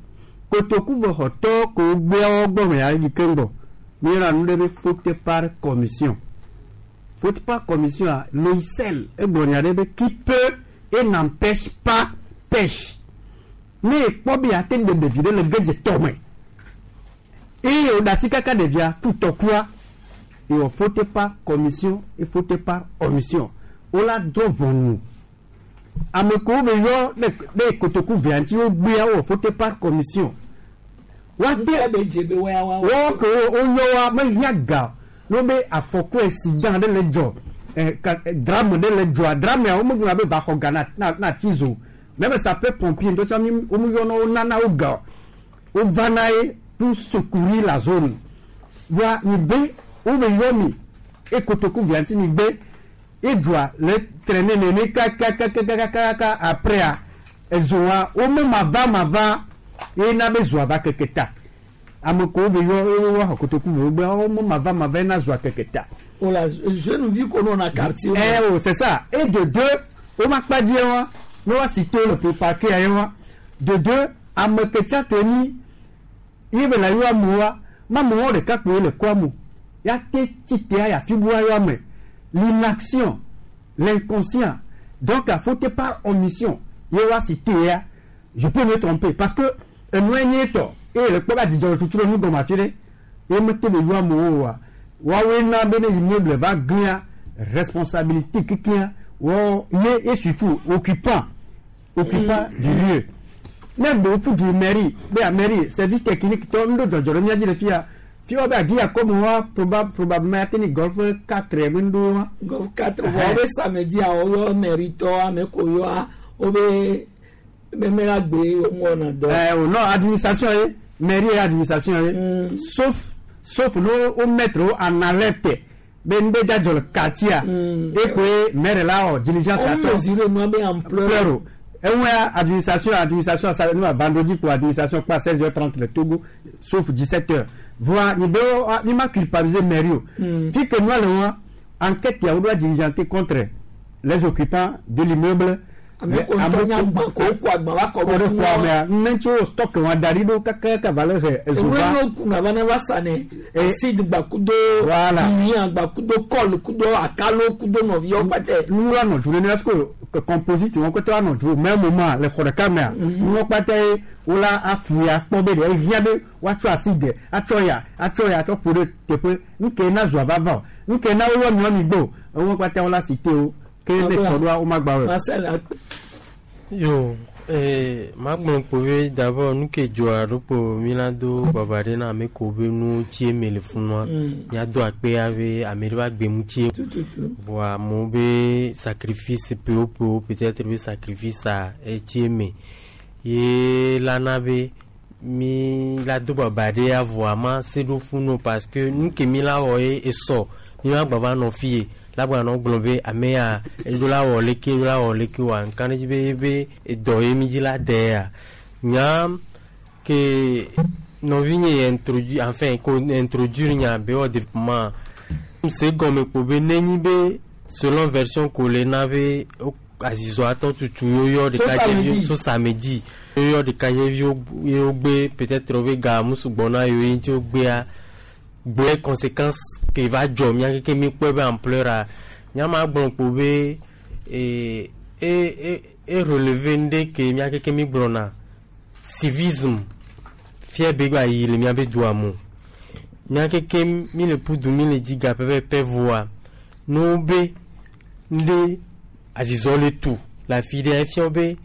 kotoku ve xɔtɔ ko gbea wo gbɔ me ya yi keŋ gbɔ mi yɔna nu ɖe be faute par commission. Faute par commission a Loisel egblɔ nya ɖe be qui peut et n'empêche pas pêche. Ne ekpɔ be ate ɖe ɖevi ɖe le gedze tɔ me eye wòɖe asi kaka ɖevia ku tɔkua ewɔ faute par commission et faute par omission. Wola drɔ̃ ʋɔnu ame kewo be yɔ ɖe kotoku vea ŋuti wogbea wowɔ faute par commission. Woate wɔwɔ ke woyɔ wa mehiã ga ne be afɔku accident ɖe le dzɔ drame ɖe le dzɔa dramea womegblɔna be va xɔ ga na ti zo même sapeur pompier ŋutɔ tsã womeyɔna wo nana wo ga wovana ye pour secourir la zone. Voa mi be wove yɔ mi e kotoku vea ŋuti mi be edzoa le traîner nene kakakakakaka après a ezoa wome mava mava ye na be zoa va keke ta ame kewo ve yɔ wo xɔ kotoku ve wo gbe wome mava mava ye na zoa keke ta. Ola jeune vie qu'on a quartier. Eh oh, c'est ça. Et de deux, o ma kpa dzi wa, ne wa si to le pe parquet ya wa. De deux, ame ke tsa to ni ye be la yɔ amewoa, ma amewo ɖeka kpoe le kɔa mo. Ya te tsi te ya fi bua yɔ ame. L'inaction, l'inconscient. Donc, à faute par omission, ye wa si te ya. Je peux me tromper parce que enue nye tɔ eye le kpɔ be adzidzɔ le tutu ɖe nu gɔme afi ɖe ye mete be yɔ amewo oa. Woawoe na be ne immeuble va glia responsabilité kekeŋ wɔ ye et surtout occupant du lieu. Ne ɖewo ƒu du mairie be a mairie service technique tɔ nu ɖo dzɔdzɔ ɖe mía dzi le fia fi wa be agi akɔme wa probablement ate ni golf 4 me ŋɖo wa. Golf 4 vɔ wobe samedi a woyɔ mairie tɔ ame ko yɔa wobe meme la gbe wɔna dɔ. Ɛ o non administration ye mairie ye administration ye sauf no wo mettre wo en alerte be ŋɖe dzadzɔ le quartier e koe maire la wɔ diligence On atsɔ. mesure nua be ampleur. Ampleur o. Eŋua administration sa nu vendredi pour administration kpa 16h30 le Togo sauf 17h. Voa ni be ni ma culpabiliser mairie o. Fi ke nua le wa enquête ya wo doit diligenter contre les occupants de l'immeuble. Ame ko ŋutɔ nye agba ko ko agba va kɔ Kɔ ɖe ɖe fún xɔa wa. mea ne tso stock wa da ɖi ɖo kakaka va le he ezo Ewe va. no kuna va ne va sa ne acide gba kudo Voilà. timiya gba kudo kɔl kudo akalo kudo nɔviwo kpatɛ. Nuwo anɔ dzu nene est-ce que composite wɔn kɔtɔ anɔ dzu au même moment le xɔ ɖeka mea nuwo kpata ye wola afu ya kpɔ be ɖe ehiã be woatsɔ acide atsɔ ya atsɔ ya atsɔ ƒo ɖe teƒe nuke na zua vava o nuke na woyɔ miɔ mi gbɔ o eŋu kpata wola si te o ke ne tsɔ ɖoa womagba wɔe. Marcel Yo, magblɔ kpo be d'abord nu ke dzɔa ɖo kpo mi la do baba ɖe na ame ko be nu tsie me le funua. Míado akpe be ame ɖe va gbe mu tsie. Voa amewo be sacrifice pewo peut-être be sacrifice a etsie me. Ye la na be mi la do baba ɖe ya voa ma se ɖo funu parce que nu ke mi la wɔ ye esɔ mi ma gba va nɔ fi ye la gba nɔ gblɔ be ame ya eɖo la wɔ leke eɖo la wɔ leke wa nka ɖe dzi be ye be edɔ ye mi dzi la de ya nya ke nɔvinye ye introduire enfin ko introduire nya be wɔ développement se gɔme kpo be nenyi be selon version ko le na be wo- azizɔ atɔ tutu yoyɔ ɖekadzeviwo so samedi yoyɔ ɖekadzeviwo ye wogbe peut-être wobe ga mu sugbɔ na yewo ye ŋuti wogbea gblẽ conséquence ke va dzɔ mía keke mi kpɔe be ampleur a nyama gblɔ kpo be e e e e relever ŋɖe ke mía keke mi gblɔna civisme fia be gba yi le míabe dua me o. Mía keke mi le ƒu mi le dzi ga pɛpɛpɛ voa ne wobe ŋɖe azizɔ le tu le afi ɖe efia be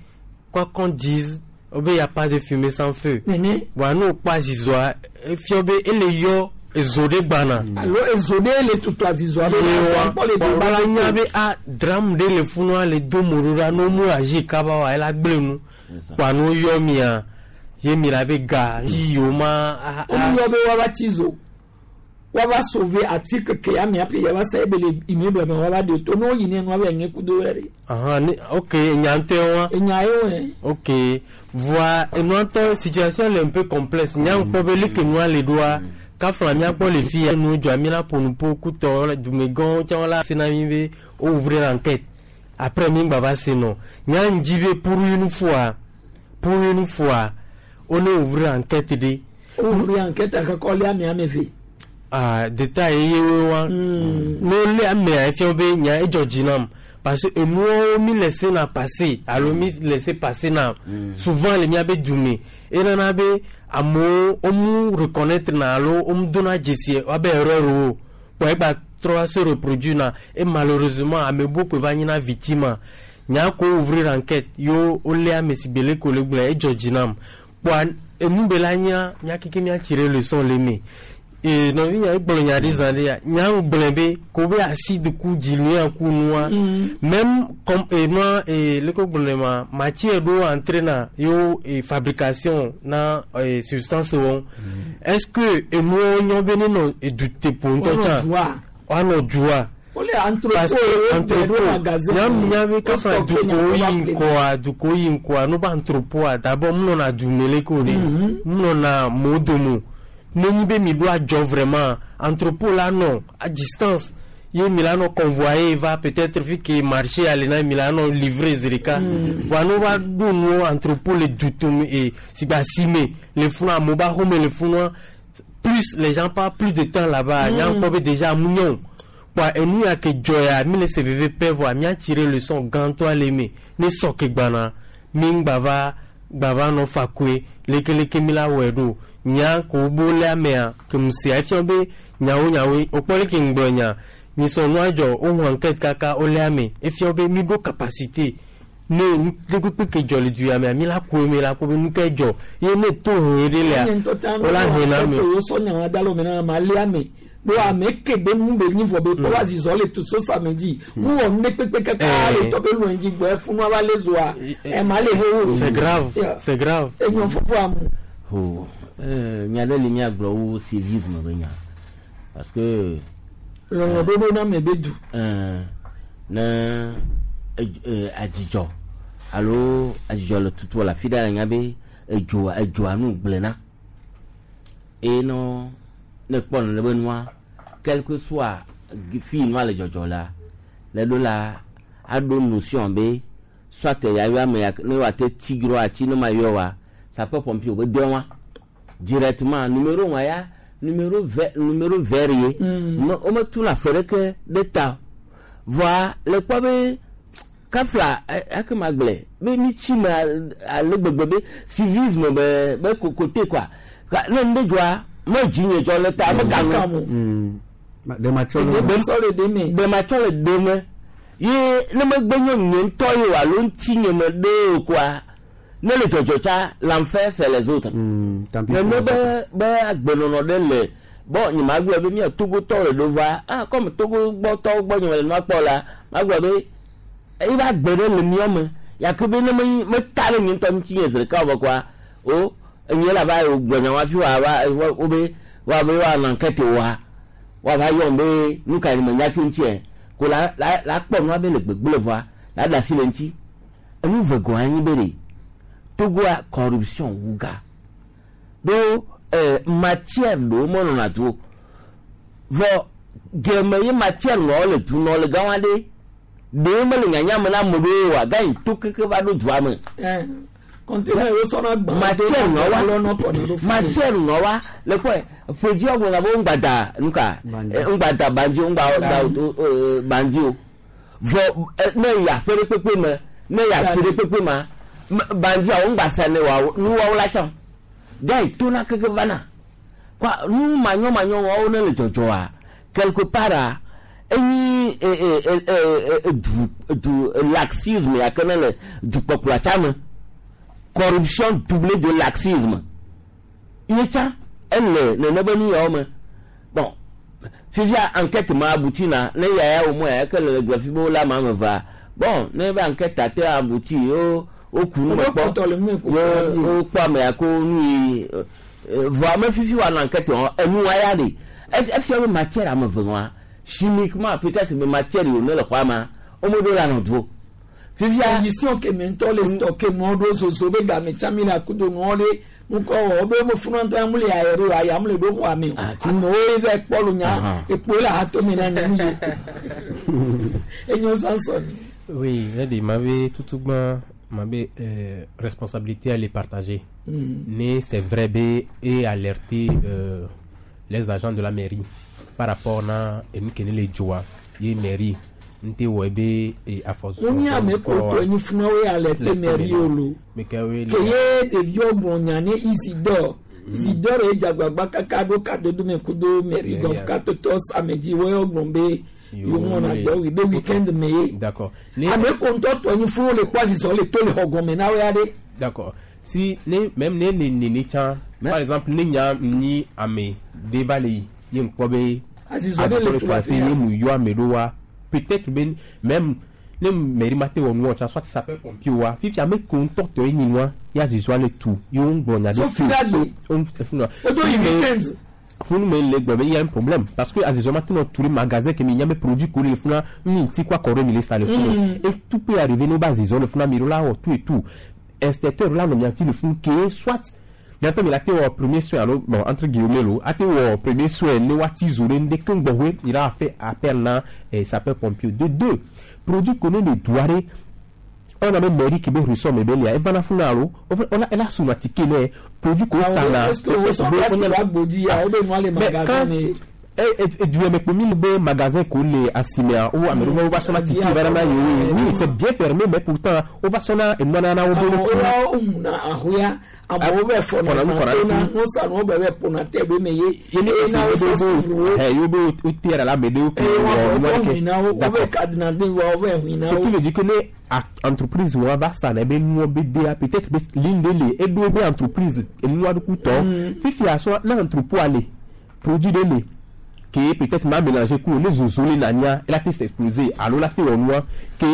quoi qu'on dise wobe y a pas de fumée sans feu. Nene. Voa ne wokpɔ azizɔa efia be ele yɔ ezo ɖe gbana. Alo ezo ɖe le tutu azizɔa be Yewa kpɔ le do ba la nya be a drame ɖe le funua le do mo ɖo ɖa ne womu azi kaba wa ela gblẽ nu kpa ne woyɔ mia ye mi la be ga dzi yiwo ma a a Womuyɔ be woava tsi zo woava sauver article ke ya mia ƒe yava sa ebe le immeuble me woava ɖe to ne woyi ne nua be ŋe kudo wɛ ɖe. Ahan, ne ok enya ŋutɔe wa. Enya ye wɛ. Ok voa enua ŋutɔ situation le un peu complexe nya ŋkpɔ be leke nua le ɖoa kafla míakpɔ le fi ya nu dzɔa mi la ƒo nu ƒo kutɔ dumegãwo tsã la se na mi be wo ouvrir enquête après mi ŋgba va se nɔ nya ŋdzi be pour une fois pour une fois wo ne ouvrir enquête ɖe. Ouvrir enquête akakɔ lé amea me ve. Ah, détail ye wo wa ne wolé amea efia be nya edzɔ dzi nam parce que enuwo mi laissé na passer alo mi laissé passer na souvent le miabe dume enana be amewo womu reconnaître na alo womu dona dzesi woabe erreur wo kpɔ egba trɔ se reproduire na et malheureusement ame bubu va nyina victime nya ko ouvrir enquête yo wolé ame si be leke wòle gblɔe edzɔ dzi nam kpɔa enu be la nya mía keke mía tirer leçon le eme ee nɔvi nya egblɔ nya ɖe zã ɖe ya nya gblɔe be ko be asi de ku dzi ya ku nua même comme ee nua ee leke gblɔe ma matière ɖewo entre na yewo ee fabrication na ee substance wɔm est ce que enuwo nyɔ be ne nɔ eduteƒo ŋutɔ Woanɔ tsã dua. woanɔ dua Wole parce entrepôt que ye wo ɖe ɖo magasin. entrepôt nya be kafa Wo stocké dukowo nya yi wo va ŋkɔa dukowo yi ŋkɔa no ba entrepôta d'abord mu nɔna du me leke o ɖe mu nɔna mɔwo dome o ne nyi be mi ɖo adzɔ vraiment entrepôt la nɔ à distance ye mi la nɔ convoyer va peut-être fi ke marché ale na mi la nɔ livrer zi ɖeka voa ne va ɖo nuwo entrepôt le dutome e si gbe asime le funua amewo ba xɔme le funua plus les gens passent plus de temps là-bas nya kpɔ be déjà mu nyɔ o kpɔa enu ya ke dzɔ ya mi le se veve pɛ voa mía tirer leçon gãtɔa le eme ne sɔ ke gbana mi ŋgba va gba va nɔ fa koe lekeleke mi la wɔe ɖo nya ko bo le amea ke mu sia efia be nyawo nyawoe wokpɔ leke ŋgblɔ nya nyisɔ nua dzɔ wohu enquête kaka wole ame efia be mi ɖo capacité ne nu kpekpe ke dzɔ le du ya mea mi la ku eme la ko be nu ke dzɔ ye ne to he ɖe lea Nye ŋutɔ tsã wola he na ame. wo sɔ nya wa da le wo me na ma lé ame ɖo ame ke be nu be nyi vɔ be kpɔ wa zizɔ le tu so samedi mu wɔ nu ɖe kpekpe kaka Eh. le tɔ be lu ŋdzi gbɔ efunu va le zoa ema le he wo. C'est grave, Yeah. c'est grave. Enyɔ fofo amu. Oh, nya ɖe li míagblɔ wu civisme be nya parce que Lɔlɔ ɖoɖo na ame be du. Ne adzidzɔ alo adzidzɔ le tutu le afi ɖe la nya be edzoa edzoa nu gblẽna eye nɔ ne kpɔ nene be nua quel que soit fi yi nua le dzɔdzɔ la le ɖo la aɖo notion be soit ya yɔ ame ya ne woate tsi dzro atsi ne ma yɔ wa sapeur pompier wo be dɔ wa directement numéro wa ya numéro vert numéro vert ye me wometuna afɔ ɖeke ɖe ta o voa le kpɔ be kafla ake ma gblɔe be mi tsi me ale gbegbe be civisme be be kokote quoi Ka- ne nu ɖe dzɔa me dzi nye dzɔ le ta me ka nu Ɖe matsɔ le Ɖe le ɖe me. ɖe matsɔ le ɖe me ye ne megbe nye nye ŋutɔ ye o alo ŋuti nye me ɖe o quoi ne le dzɔdzɔ tsa l'enfer c'est les autres tant pis ne pour ne les be be agbenɔnɔ ɖe le bon nye ma gblɔ be mía togotɔ le ɖo va ah comme togo gbɔtɔwo gbɔ nye me le nua kpɔ la ma gblɔ be eye be agbe ɖe le mía me gake be ne me meta ɖe nye ŋutɔ ŋuti nye zi ɖeka o be kɔa o enye la va gblɔ nya wa fi wa va wo be wa be wa nɔ enquête wa wa va yɔm be nu ka me nya tso ŋutiɛ ko la la la kpɔ nua be le gbegble vɔa la ɖe asi le ŋuti enu ve gɔ̃ anyi be ɖe Togoa corruption wu ga ɖo matière ɖewo menɔna du o. Vɔ geme ye matière nɔ le du nɔ le gã wa ɖe ɖewo mele nyanya me na ame ɖewo oa gã yi to keke va ɖo dua me. Conteneur yóò sɔnà gbã. Matière nɔ wa matière nɔ wa le kɔe ƒedzi wɔgbɔn na be ŋgba da nuka ŋgba da bandzi o ŋgba da bandzi o vɔ ne yi aƒe ɖe kpekpe me ne yi asi ɖe kpekpe ma bandzia wo ŋgba sa ne wa nuwawo la tsã gã yi to na keke va na kɔa nu manyɔmanyɔ wɔwo ne le dzɔdzɔa quelque part a enyi du du laxisme ya ke ne le dukpɔkplɔ tsa me corruption doublée de laxisme ye tsã ele nene be nu yawo me. Bon, fifia enquête ma abouti na ne yaya o mo ya ke le gblɔ fi be wo la ma me va. Bon, ne be enquête ate abouti wo woku nu me kpɔ wo wokpɔ ame ya ko nu yi vɔ ame fifi wa nɔ enquête wɔm enu wa ya ɖe efia be matière ame ve wa chimiquement peut-être be matière yi wo ne le xɔa ma wo me ɖo la nɔ du o fifia. Condition ke mi ŋutɔ le stocké nuwo ɖo zozo be game tsã mi le akudo nuwo ɖe ŋkɔ wɔ be mo funu ŋutɔ mu le ayɛ ɖo aya mu le ɖo xɔa me o amewo ye va kpɔ lo nya ekpo le hatome na nyɔnu yi enyo sansɔn. Oui, elle m'avait tout tout m'avait responsabilité à les partager. Mais c'est vrai B et alerter les agents de la mairie par rapport à les joie, les mairie nte wɔ ebe afɔ. Wọ́n ní àmì kò tó ẹni fún wa wíyà lẹ tẹ mẹ́rin yóò lò. Kèye ɖeviwo gblɔ nya ne Isidore. Isidore ye dzagbagba kaka ɖo kadodo me kudo mairie gɔf katotɔ samedi wɔyɔ gblɔ be yewo ŋlɔna dɔ wi be weekend me ye. D'accord. Ame ko ŋutɔ tɔ nyi fún wo le kpɔ azizɔ le to le xɔ gɔme na wo ya ɖe. D'accord. Si ne même ne le nene tsã par exemple ne nya nyi ame de va le yi ye ŋkpɔ be azizɔ de le tu afi ye mu yɔ ame ɖo wa peut-être ben même ne mairie ma te wɔ nuwɔ tsã soit sapeur pompier wa fifi ame ko ŋutɔ tɔ ye nyi nua ya zizɔ le tu ye wo ŋgblɔ nya ɖe tu. So o do yi weekend. Funu me le gblɔ be y a un problème parce que azizɔ ma te nɔ tu le magasin ke mi nya be produit ko le funa mi ŋuti kɔ akɔ ɖe mi le sa le funu et tout peut arriver ne ba azizɔ le funa mi ɖo la wɔ tout et tout inspecteur la nɔ mia ŋuti le funu ke soit bientôt mi la te wɔ premier soin alo bon entre guillemets lo ate wɔ premier soin ne waati zo ɖe ŋɖe keŋ gbɔƒe il a fait appel na sapeur pompier de deux produit qu'on le doire on a même mairie qui be ressort me be lia evana funa alo on a elle a somatike ne produit qu'on sa na est-ce que wo sɔ place la gbodi ya o be nua le magasin ne du me komi be magasin ko le asimea ou ame wo va sɔna tike va na yo. Oui, c'est bien fermé, mais pourtant o va sɔna enua na wo be o na ahoya amewo bɛ fɔna na no sa no bɛ bɛ pona tɛ be me ye ye na wo sɔ suru wo yo be o tɛ la me de ko wo hina wo bɛ kadina den wa wo bɛ hina wo. Ce qui veut dire que ne entreprise wa va sa na be nuɔ be dea peut-être be linde le edo be entreprise enua ɖo kutɔ fifi asɔ na entrepôt ale produit de le qui peut-être m'a mélangé coup les zozo les nania elle a été s'exploser alors la théo noir qui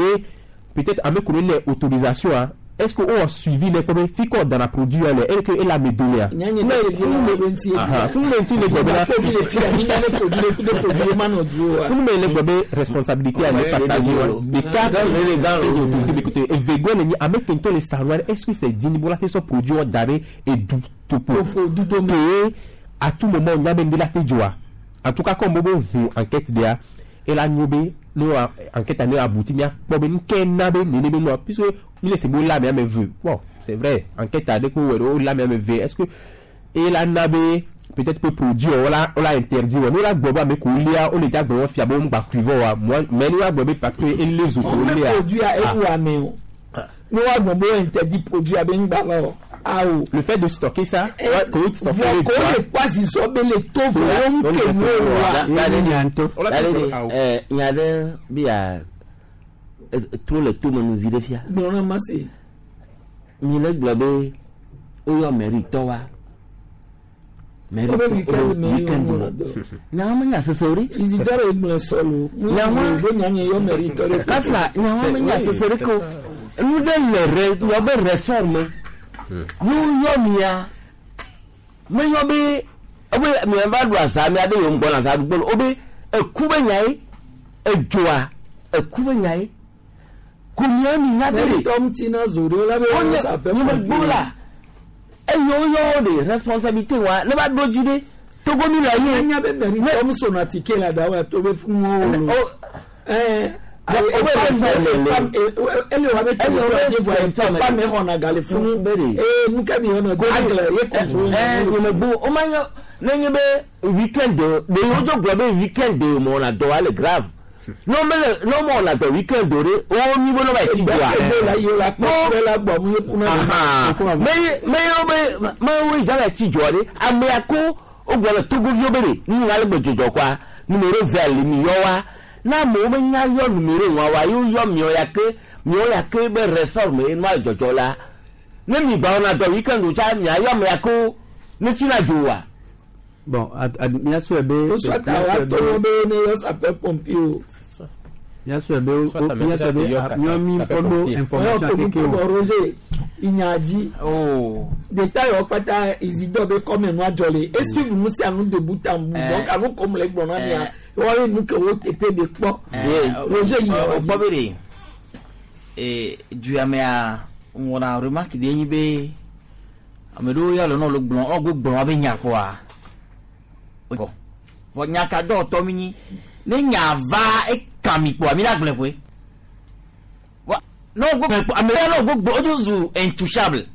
peut-être avec une autorisation hein, est-ce qu'on a suivi les problèmes fi dans la produit elle elle que elle a me donné responsabilité à partager des cadres les et vego les avec les savoir est-ce que c'est digne pour la question produit d'arrêt et du topo à tout moment on a même de la joie. En tout cas, comme Bobo enquête de et la nyobe nous enquête a abouti mia bobe nkenabe nene no puisque il est beau là mais me veut. Bon, c'est vrai, enquête a découvert là mais me veut. Est-ce que et la nabe peut-être peut produire on l'a interdit nous la boba mais koulia on est bon fiabo on ba cuivo moi mais nous la boba parce que et les autres on produit à et ou mais nous a bon interdit produit à ben ba Le fait de stocker ça, trop le tout me vide fia. Mi le gblɔ be woyɔ mairie tɔ wa. Mairie weekend nyawo menya sese o ɖe. Isidore gblɔ sɔlo. Nyawo kafla nyawo menya sese ɖe ko nu ɖe le re yɔ be ressort me. Nu yɔ mia meyɔ be ebe mia va ɖu aza mia ɖe yewo ŋgbɔ na aza ɖu gbɔ o be eku be nya ye edzoa eku be nya ye ko mia mi nya be ɖe. Tɔm tina zo ɖe la be wɔn sapɛ. Nye me gbɔ la Eye woyɔ wo ɖe responsabilité wa ne va ɖo dzi ɖe Togo mi le ye. Enya be mairie tɔ mu sona ticket la da wa to be funu wo lo. Ele wa be territoire dze voa pa me xɔna ga le funu. Ee nu ke mi yɔna agle ye contrôle. Ɛɛ nye me bu o ma yɔ ne nye be weekend de wo dzo gblɔ be weekend de mo wɔna dɔ wa le grave. Ne wo mele ne wo mewɔna dɔ weekend o ɖe wo nyi be ne va yi tsi dzoa. Me me ye be me wo yi dza va yi tsi dzoa ɖe amea ko wogblɔ le Togoviwo be ɖe nu yi ale gbe dzɔdzɔ kɔa numéro vert li mi yɔ wa. Ne amewo menya yɔ numéro wa wa ye woyɔ miɔ ya ke miɔ ya ke be ressort me ye nua le dzɔdzɔ la. Ne mi gba wɔna dɔ weekend o tsa mia yɔ amea ko ne tsina dzo wa. Bon, míasɔe be. Wosɔ ta wa to wo be ne yɔ sapeur pompier o. Míasɔe be míasɔe be míɔ mi kɔ ɖo information keke o. Roger inya dzi. Détail wɔ kpata Isidore be kɔme nua dzɔ le. E suivre nu sia nu de bout en bout. Donc alo kom le gblɔ na mia. Wɔye nu ke wo teƒe de kpɔ. Roger inya wa dzi. Kpɔ be ɖe ee du amea wɔna remarque ɖe nyi be ame ɖewo ya le nɔ le gblɔ ɔ gbe gblɔ wa be nya kɔa. Vɔ nya ka dɔ tɔ mi nyi ne nya va eka mi kpɔa mi la gblɔe koe. Wa ne wo gbe ame ya ne wo gbe wodzo zu intouchable.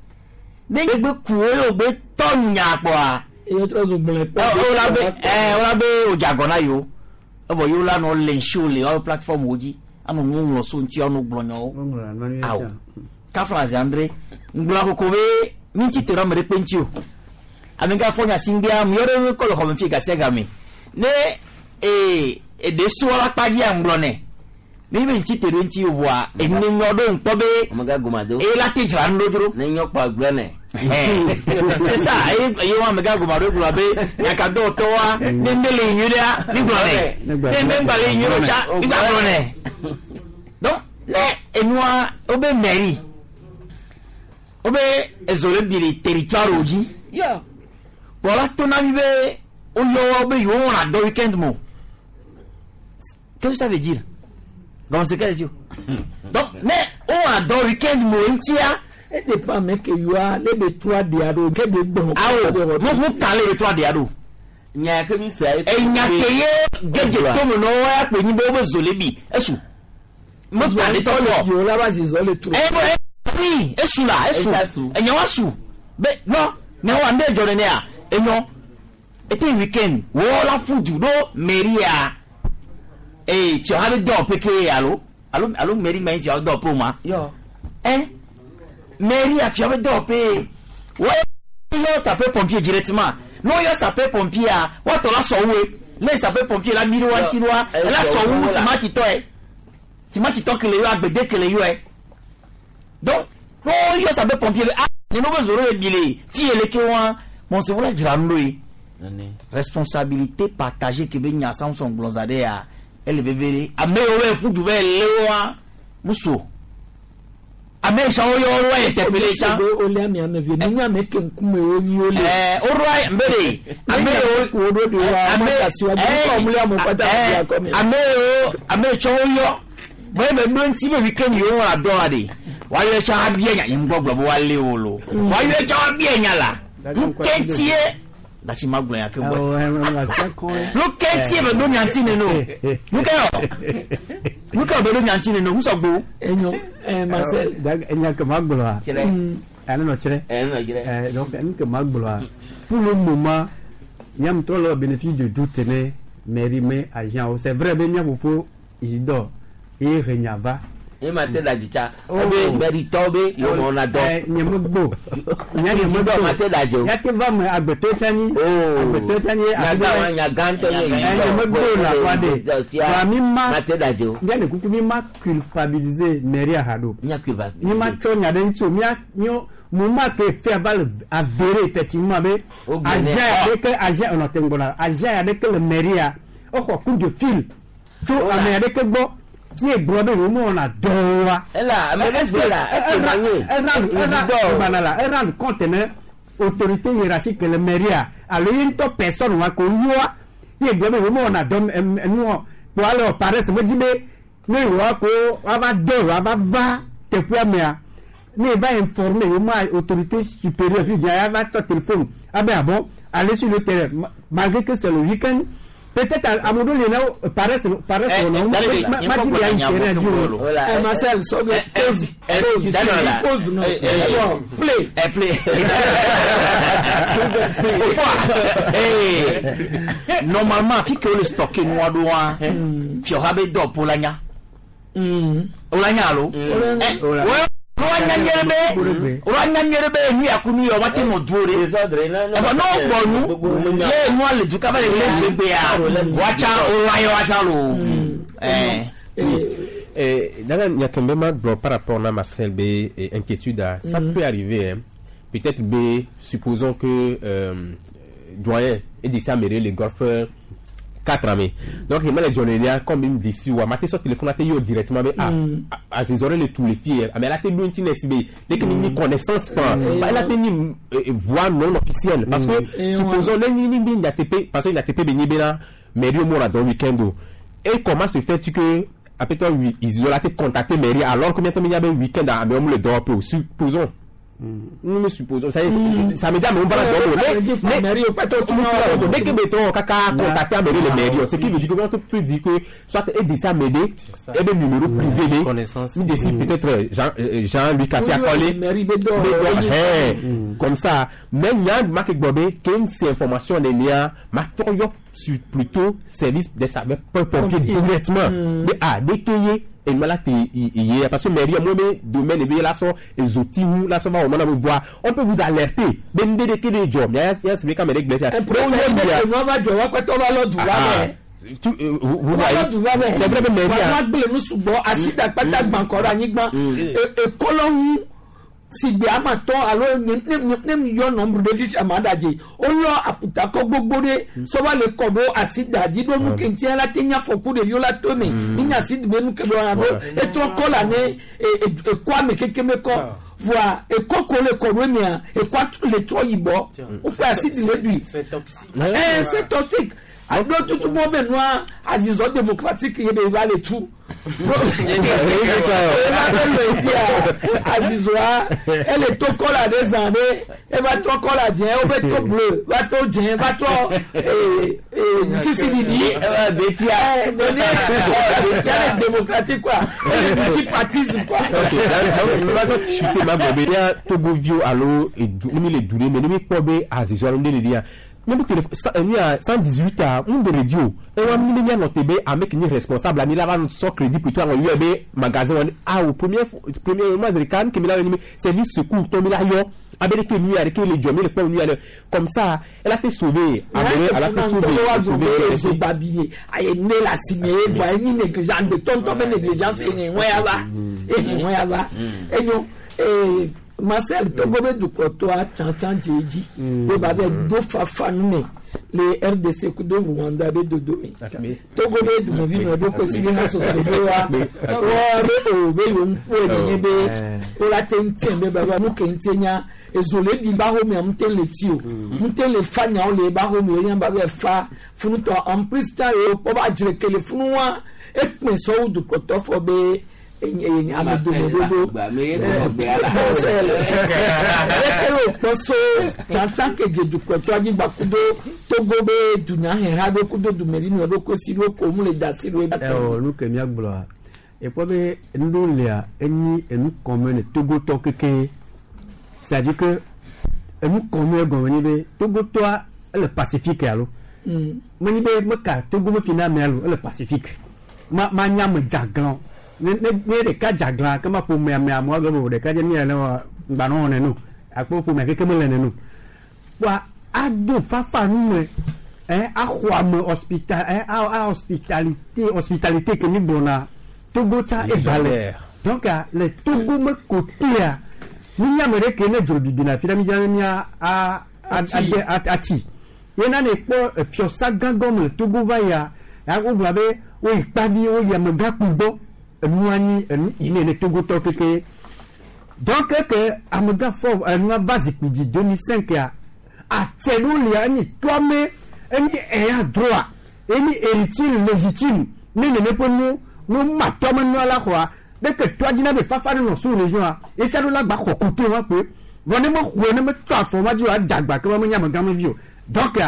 Ne gbe ku wo ye wo gbe tɔ nya kpɔa. Eye trɔ zu gblɔe kpɔ. Wo la be wo la be wo dze agɔ na yewo. Evɔ yewo la nɔ le ŋsi wo le woaƒe plateforme wo dzi anɔ nu ŋlɔ so ŋuti anɔ gblɔ nyawo. Awo. Kafla zi andre ŋgblɔ koko be mi ŋuti te ɖe ame ɖe kpe ŋuti o. Ame ka fɔ nya si ŋgbea mi yɔ ɖe kɔ le xɔme fi gasia game. Ne ee eɖe sɔ la kpa dzi aŋgblɔ nɛ. Ne be ŋuti te ɖe ŋuti o voa ene nyɔ ɖo ŋkpɔ be. Amega gomado. Eye la te dzra nu ɖo dzro. Ne nyɔ kpɔ agblɔ nɛ. C'est ça eye eye wa amega gomado gblɔ be nyaka dɔ tɔ wa ne ne le nyui ɖea mi gblɔ nɛ. Ne ne ŋgba le nyui ɖo tsa mi gba gblɔ nɛ. Donc ne enua wo be mairie wo be ezo le bi le territoire wo dzi. Kplɔla to na mi be woyɔ wo be yewo wɔna dɔ weekend mo. Qu'est-ce que ça veut dire? Donc c'est quel Donc ne wowɔna dɔ weekend mo ŋutia. E dépend ame ke yɔa ne be trɔ aɖe aɖo ke be gbɔn. Awo mo mo kan le be trɔ aɖe aɖo. Nya ke mi se. Enya ke ye gege to me na wo ya kpe nyi be wo be zo le bi esu. Mo kan le tɔ lɔ. Yewo la va zi zɔ le trɔ. Ɛ oui esu la esu. Enya wa su. Be non nya wa ne dzɔ nenea enyɔ. Ete weekend wo la ƒu du ɖo mairie ee tiɔ ha be dɔ peke alo alo alo mairie ma yi tiɔ dɔ pe o ma. Yɔ. Ɛ mairie tiɔ be dɔ pe wo yɔ sapeur pompier directement n'o yɔ sapeur pompier a wɔtɔ la sɔ woe ne sapeur pompier la mi ɖe wa ŋuti wa la sɔ wu timati tɔ ye timati tɔ kele yɔ agbede kele yɔ ye donc n'o yɔ sapeur pompier ah nínú bɛ zoro ye bi le fi yɛlɛ ke wa mɔsibɔ la dzra nu ɖo ye. Responsabilité partagée ke be nya Samson gblɔza ɖe ya ele veve ɖe ame yiwo be ƒu du be le woa musu ame yi sã woyɔ wo interpellé tsã. Be wole ame ame ve ne nye ame ke ŋkume wo nyi wo le. Ɛɛ woɖoa mbe ɖe ame yiwo wo ɖo ɖe wa ame ɛɛ ame yiwo ame yi tsã woyɔ bɔn ebe ɖo ŋuti be weekend yiwo wɔna dɔ wa ɖe woayɔ tsã abia nya nye ŋgbɔ gblɔ be woalé wo lo woayɔ tsã abia nya la ŋkɛntie dasi ma gblɔ ya ke bɔ nu kɛntie bɛ ɖo nyanti neno nu kɛ yɔ nu kɛ bɛ ɖo nyanti neno ŋusɔgbo. Enyo Marcel. Enya ke ma gblɔa. Ane nɔ tsrɛ. Ɛ donc nu ke ma gblɔa pour le moment nyam trɔ le bénéfice de doute ne mairie me agent o c'est vrai be mía fofo Isidore ye he nya va. E ma te da dzitsa ebe mairie be yewo mɔ na dɔ. Nye me gbo. Nye me Isidore ma te da dzi o. Ya te va me agbetɔ tsa nyi. Agbetɔ tsa nyi. Nyaga wa nyaga ŋutɔ nye Nye me gbo la fa de. Wa mi ma. Ma te da dzi o. Mía le kuku mi ma culpabiliser mairie ha ɖo. Mía culpabiliser. Mi ma tsɔ nya ɖe ŋuti o. Mía míɔ mo ma ke fɛn va le avéré effectivement be agent aɖeke agent ɔnɔ te ŋgɔ na agent aɖeke le mairie exɔ coup de fil tso ame aɖeke gbɔ ye gblɔ be yewo mewɔna dɔ wa. Ela ame ɖe gblɔ la eke ma nye. Era la e rendre compte ne autorité hiérarchique le mairie alo ye ŋutɔ personne wa ko yɔa ye gblɔ be yewo mewɔna dɔ nuwɔ kpɔ ale paresse me dzi be ne yewoa ko woava dɔ yewoava va teƒea mea Ne va informer au moins autorité supérieure fi dia va tsɔ téléphone abe ah bon, aller sur le terrain malgré que c'est le week-end. Peut-être à mon donné là paresse paresse Eh, on eh, Dalebe, ma nye ma kpɔ di gbɔna ya nya terrain vɔ du ke wolo. Eh, Marcel, sɔgbɛ pause pause Daniel, pause non eh, eh, Bon, play Eh, play. Eh, normalement fi ke wole stocke nua ɖo wa fiɔha be dɔ ƒo la nya o la nya alo Eh, wo nya nyuie be wo nya nyuie be nu ya ku nu ya wa te nɔ du o de ɛfɔ n'o gbɔ nu ye nua le du kaba le le se gbea wa tsa o wa ye wa tsa lo ɛɛ. Eh, Dana Nyakembe ma gblɔ par rapport à Marcel B eh, inquiétude ah, ça peut arriver hein. Peut-être B supposons que doyen et d'ici à le golfeur 4 années. Donc il m'a les journées comme il me dit si ou maté sur téléphone là yo directement mais ah à ses oreilles le tout les filles mais là t'es loin B dès que ni connaissance pas bah là t'es ni voix non officielle parce que Et supposons ni ni ni ATP parce que l'ATP ben là mais lui moi dans week-end et comment se fait-il que après toi oui, ils ont été contacté mairie alors combien de temps il y avait week-end à mais on le dort peu supposons nous nous supposons ça y est, ça me dit mais on va la dormir mais mais dès que mettons caca contacter à mairie le mairie ce qui veut dire que on peut dire que soit et dit ça m'aider et bien numéro privé Connaissance. il décide peut-être Jean Jean-Louis Cassé a collé mairie bɛ dɔ Mais, comme ça mais il y a marque Bobé qui ces informations les liens ma sur plutôt service des sapeurs pompiers directement mais ah dès qu'il y et là t'es il parce que mairie moi mais domaine et bien là sont les outils là sont va on voir on peut vous alerter mais dès que les job il y a c'est quand même nua va jɔ wa kpɛtɔ va lɔ du wa bɛ tu vous vous wa voyez lɔ du wa bɛ c'est vrai mais mairie wa gble nu sugbɔ asida kpata gbankɔ ɖe anyigba ekɔlɔŋu sigbe amatɔ alo ne ne ne mi yɔ nɔmbre ɖe fifi ama ɖadze wolɔ aputakɔ gbogbo ɖe sɔba le kɔ ɖo asida dzi ɖo nu keŋtia la te nya fɔku ɖeviwo la to me mi nya asidi be nu ke ɖo la ɖo etrɔ kɔ la ne ekɔ ame keke me kɔ voa ekɔ ko le kɔ ɖo emea ekɔ le trɔ yibɔ woƒe asidi le ɖui C'est toxique. Eh, c'est toxique. Ado tutu mɔ bɛ nua azizɔ démocratique ye be va le tu. Eva be le fia azizɔa ele to kɔla ɖe zã ɖe eva trɔ kɔla dzẽ wo be to bleu va to dzẽ va trɔ tisi ɖiɖi. Betia. Nene betia le démocratique quoi. Ele multipartisme quoi. Ok, donc ma sɔ chuter ma gbɔ be ya togovio alo edu ne mi le du ɖe me ne mi kpɔ be azizɔ alo ne le ɖia ne mi téléphone nu ya 118 a mun de radio ewa mi ne mi anɔ te be ame ki nye responsable ami la va sɔ crédit plutôt awɔ yɔ be magasin wɔni ah o premier premier mois de kan kemi la yɔ ni mi service secours tɔ mi la yɔ abe de ke nu ya de ke le jɔ mi le kpɔ nu ya le comme ça elle a été sauvée elle a été sauvée sauvée zo babi aye ne la signé voa enyi négligence de tonton be négligence ehe ŋue ya va ehe ŋue ya va enyo ee Marcel Togo be dukɔtɔa tsãtsã dze edzi be ba be do fafa nu me le RDC kudo Rwanda be dodo me Togo be dumevi nɔ ɖo kosi be ha soso be wa wa be o be yewo ŋku enye be wo la te ŋuti be ba ba nu ke ŋuti nya ezo le bi ba xɔmea ŋute le ti o ŋute le fa nyawo le ba xɔme o nya ba be fa funutɔ en plus ta ye wokpɔ ba dzre ke le funu wa ekpe sɔwo dukɔtɔ fɔ be enye ame dome dodo eke wokpɔ so tsatsa ke dze dukɔtɔ anyigba kudo Togo be dunyaheha ɖo kudo dumevi ɖo kosi ɖo ko mu le da si ɖo eba Ewɔ nu ke míagblɔa ekpɔ be nu lia enyi enu kɔmɛ ne togotɔ keke c'est à dire que enu kɔmɛ gɔme nyi be togotɔa ele pacifique alo menyi be meka togo me fi na ame alo ele pacifique ma ma nya ame dzaglã ne ne ne ɖeka dzaglã ke ma ƒome ame amewo agblɔ be o ɖeka dze nu ya ne wɔ ŋgbanɔ nene o akpɔ ƒome keke mele nene o wa ado fafa nu me ɛ axɔ ame hospital ɛ a a hospitalité hospitalité ke mi gblɔna Togo tsa eva le donc a, le Togo me kotea nunya me ɖe ke ne dzo bibina fi ɖe mi dzra ne mia a a ade a atsi yena ne kpɔ fiɔsa gãgɔ me le Togo va yia ya wogblɔ be woyi kpavi woyi amegãkpui gbɔ enua nyi enu yi ne ne Togotɔ keke donc ke amegã fɔ enua va zikpui dzi 2005 ya atse ɖo lia enyi tɔame enyi eya droit enyi héritier légitime ne nene ƒe nu nu ma tɔame nua la xɔa Ɖeke toa dzina be fafa ɖe nɔ sous région a etsa ɖo la gba xɔ koto wa kpoe. Vɔ ne mexɔe ne metsɔ afɔ ma dzi o ada agba ke ma menye amegãmevi o. Donc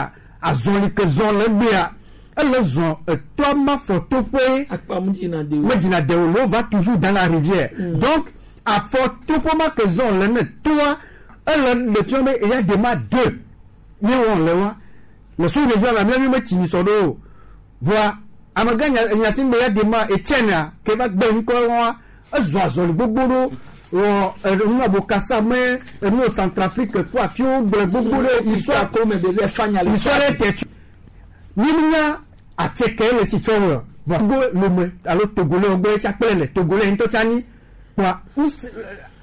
azɔli ke zɔ le egbea ele zɔ etoa ma fɔ toƒe Akpa mu dzina de o. Medzina de o, l'eau va toujours dans la rivière. Donc afɔ toƒe ma ke zɔ le ne toa ele ɖe fia be eya de ma deux ye wɔ le wa le sous région la mía mi metsi nyisɔ ɖo o. Voa amegã nya nya si be ya de ma Etienne ke va gbe ŋkɔ wa ezɔ azɔli gbogbo ɖo wɔ enu Bokassa me enu Centrafrique kó afiwo gblẽ gbogbo ɖe histoire ko me ɖevi fanya le histoire ɖe tɛ mi nya atike le si tsɔ wɔ vɔ Togo Lome alo Togolais wo gbɔ etsa kple le Togolais ŋutɔ tsa nyi kpoa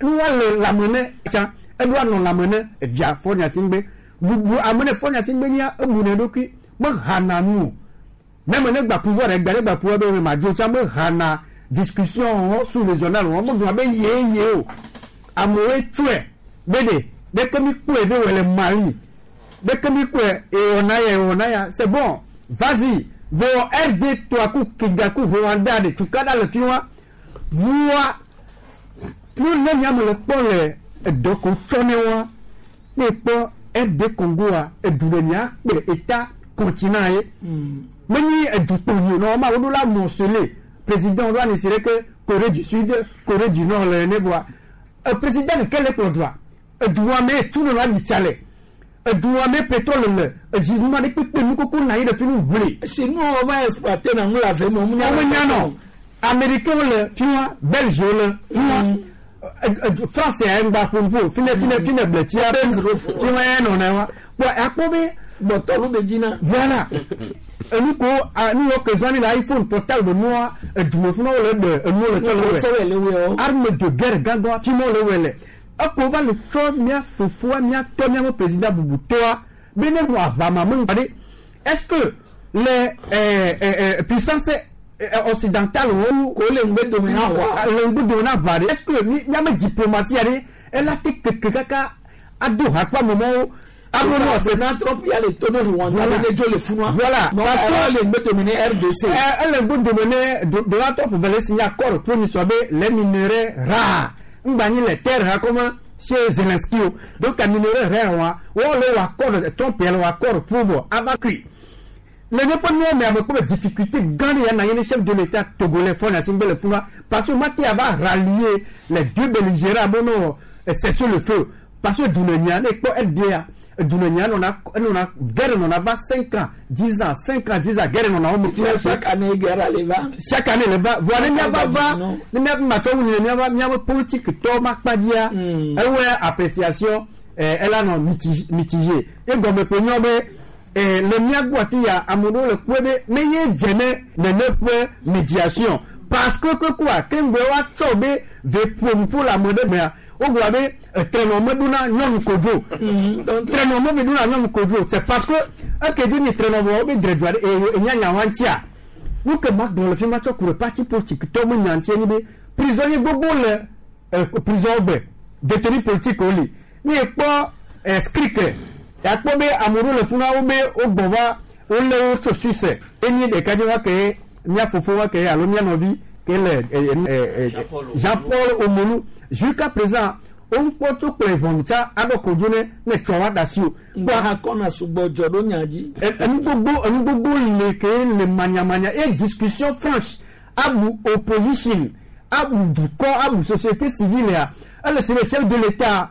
nuwa le lãme ne tsa eɖo anɔ lãme ne evia Faure Gnassingbé bubu ame ne Faure Gnassingbé nyia ebu ne ɖokui mehana nu o même ne gba pouvoir egba ne gba pouvoir be ma dzo tsa mehana discussion wɔn sous régional wɔn megblɔ be ye ye o amewoe tsɔe be de ɖeke mi kpɔe be wɔ le Mali ɖeke mi kpɔe ewɔna ya ewɔna ya c'est bon, vas-y. Vɔ RD toa ku Kigali ku Rwanda de tukaɖa le fi wa voa nu ne miame le kpɔ le edɔ ko tsɔ ne wa ne kpɔ RD Congo a edu ɖe mia kpe état continent ye menyi edukpo nyi o normalement woɖo la morceler président ɖo ani si ɖe ke Corée du Sud, Corée du Nord le ne voa président ɖeke le kplɔ dua edua me tu nɔ la ɖi le edua me pétrole le ezizuma ɖe kpekpe nu koko na anyi ɖe fi nu ʋli. Si nu wo va exploiter na ŋu la ve me wo nya wo nya nɔ américain le fi wa belge le fi wa France ya ŋgba ƒoƒo fi ne fi ne fi ne bletia fi wa ya nɔ na wa bɔn akpɔ be. Bɔtɔlu be dzina. Voilà, enu ko nu yɔ ke zãmi le iPhone portable nua edume fún wo le ɖe enuwo le tsɔ le wɛ arme de guerre gãgã fi ma wo le wɛ le eko va le tsɔ mía fofoa mía tɔ mía président bubutɔa be ne nɔ aʋama me ŋgba ɖe est-ce que les puissances occidentales wo ko le ŋgbe dome na xɔa le ŋgbe dome na ʋa ɖe est-ce que míame diplomatie ɖe ela te keke kaka ado ha kple amewo abo président Trump ya le to ne Rwanda voilà. Ne dzo le funua. Voilà. Parce que ele ŋgbe dome ne RDC. Ele ŋgbe dome ne Donald Trump vele signer accord pour ni soit be les minerais rares ŋgba nyi les terres rares comme chez Zelensky o. Donc a minerais rares wa wo le wɔ accord Trump yɛ le wɔ accord pour vɔ ava kui le ne ƒe nuwo me ame kpɔ be difficulté gã ɖe ya na anyi ne chef de l'état togolais Faure Gnassingbé le funua parce que mate ava rallier les deux belligérants be no cesser le feu parce que dunenia ne kpɔ RDA dunenia nɔna enɔna guerre nɔna va 5 ans, 10 ans, 5 ans, 10 ans guerre nɔna wo me. Chaque année guerre ale va. Chaque année le va voa ne miava va ne miava matsɔ wu ne miava miaƒe politique tɔ ma kpa dzia ewɔe appréciation ela nɔ mitigé egɔme ƒe nyɔ be le mía gbɔ afi ya ame ɖewo le kpɔe be menye dze ne nene ƒe médiation parce que kekua keŋgbe woatsɔ be ve ƒo nuƒo le ame ɖe mea wogblɔ be trenɔ meɖona nyɔnu kodzo trenɔ me ɖona nyɔnu kodzo c'est parce que eke dzi ni trenɔ vɔ wobe dre dua ɖe enya nyawa ŋutia nu ke ma gblɔ le fi ma tsɔ ku ɖe parti politique tɔwo me nya ŋutia nyi be prisonnier gbogbo le prison gbe détenu politique wo li ne ekpɔ scrike yakpɔ be ame ɖewo le funa wo be wogbɔ va wolé wo tso Suisse enyi ɖeka dzi wa ke mía fofo wa ke alo mía nɔvi ke le Jean Paul Omolu jusqu'à présent wokpɔ tso kple ʋɔnu tsa aɖɔ kodzo ne ne tsɔ wa da si o. Gba kɔna sugbɔ dzɔ ɖo nya dzi. Enu gbogbo le ke le manyamanya et discussion franche abu opposition abu dukɔ abu société civile ya ele si le chef de l'état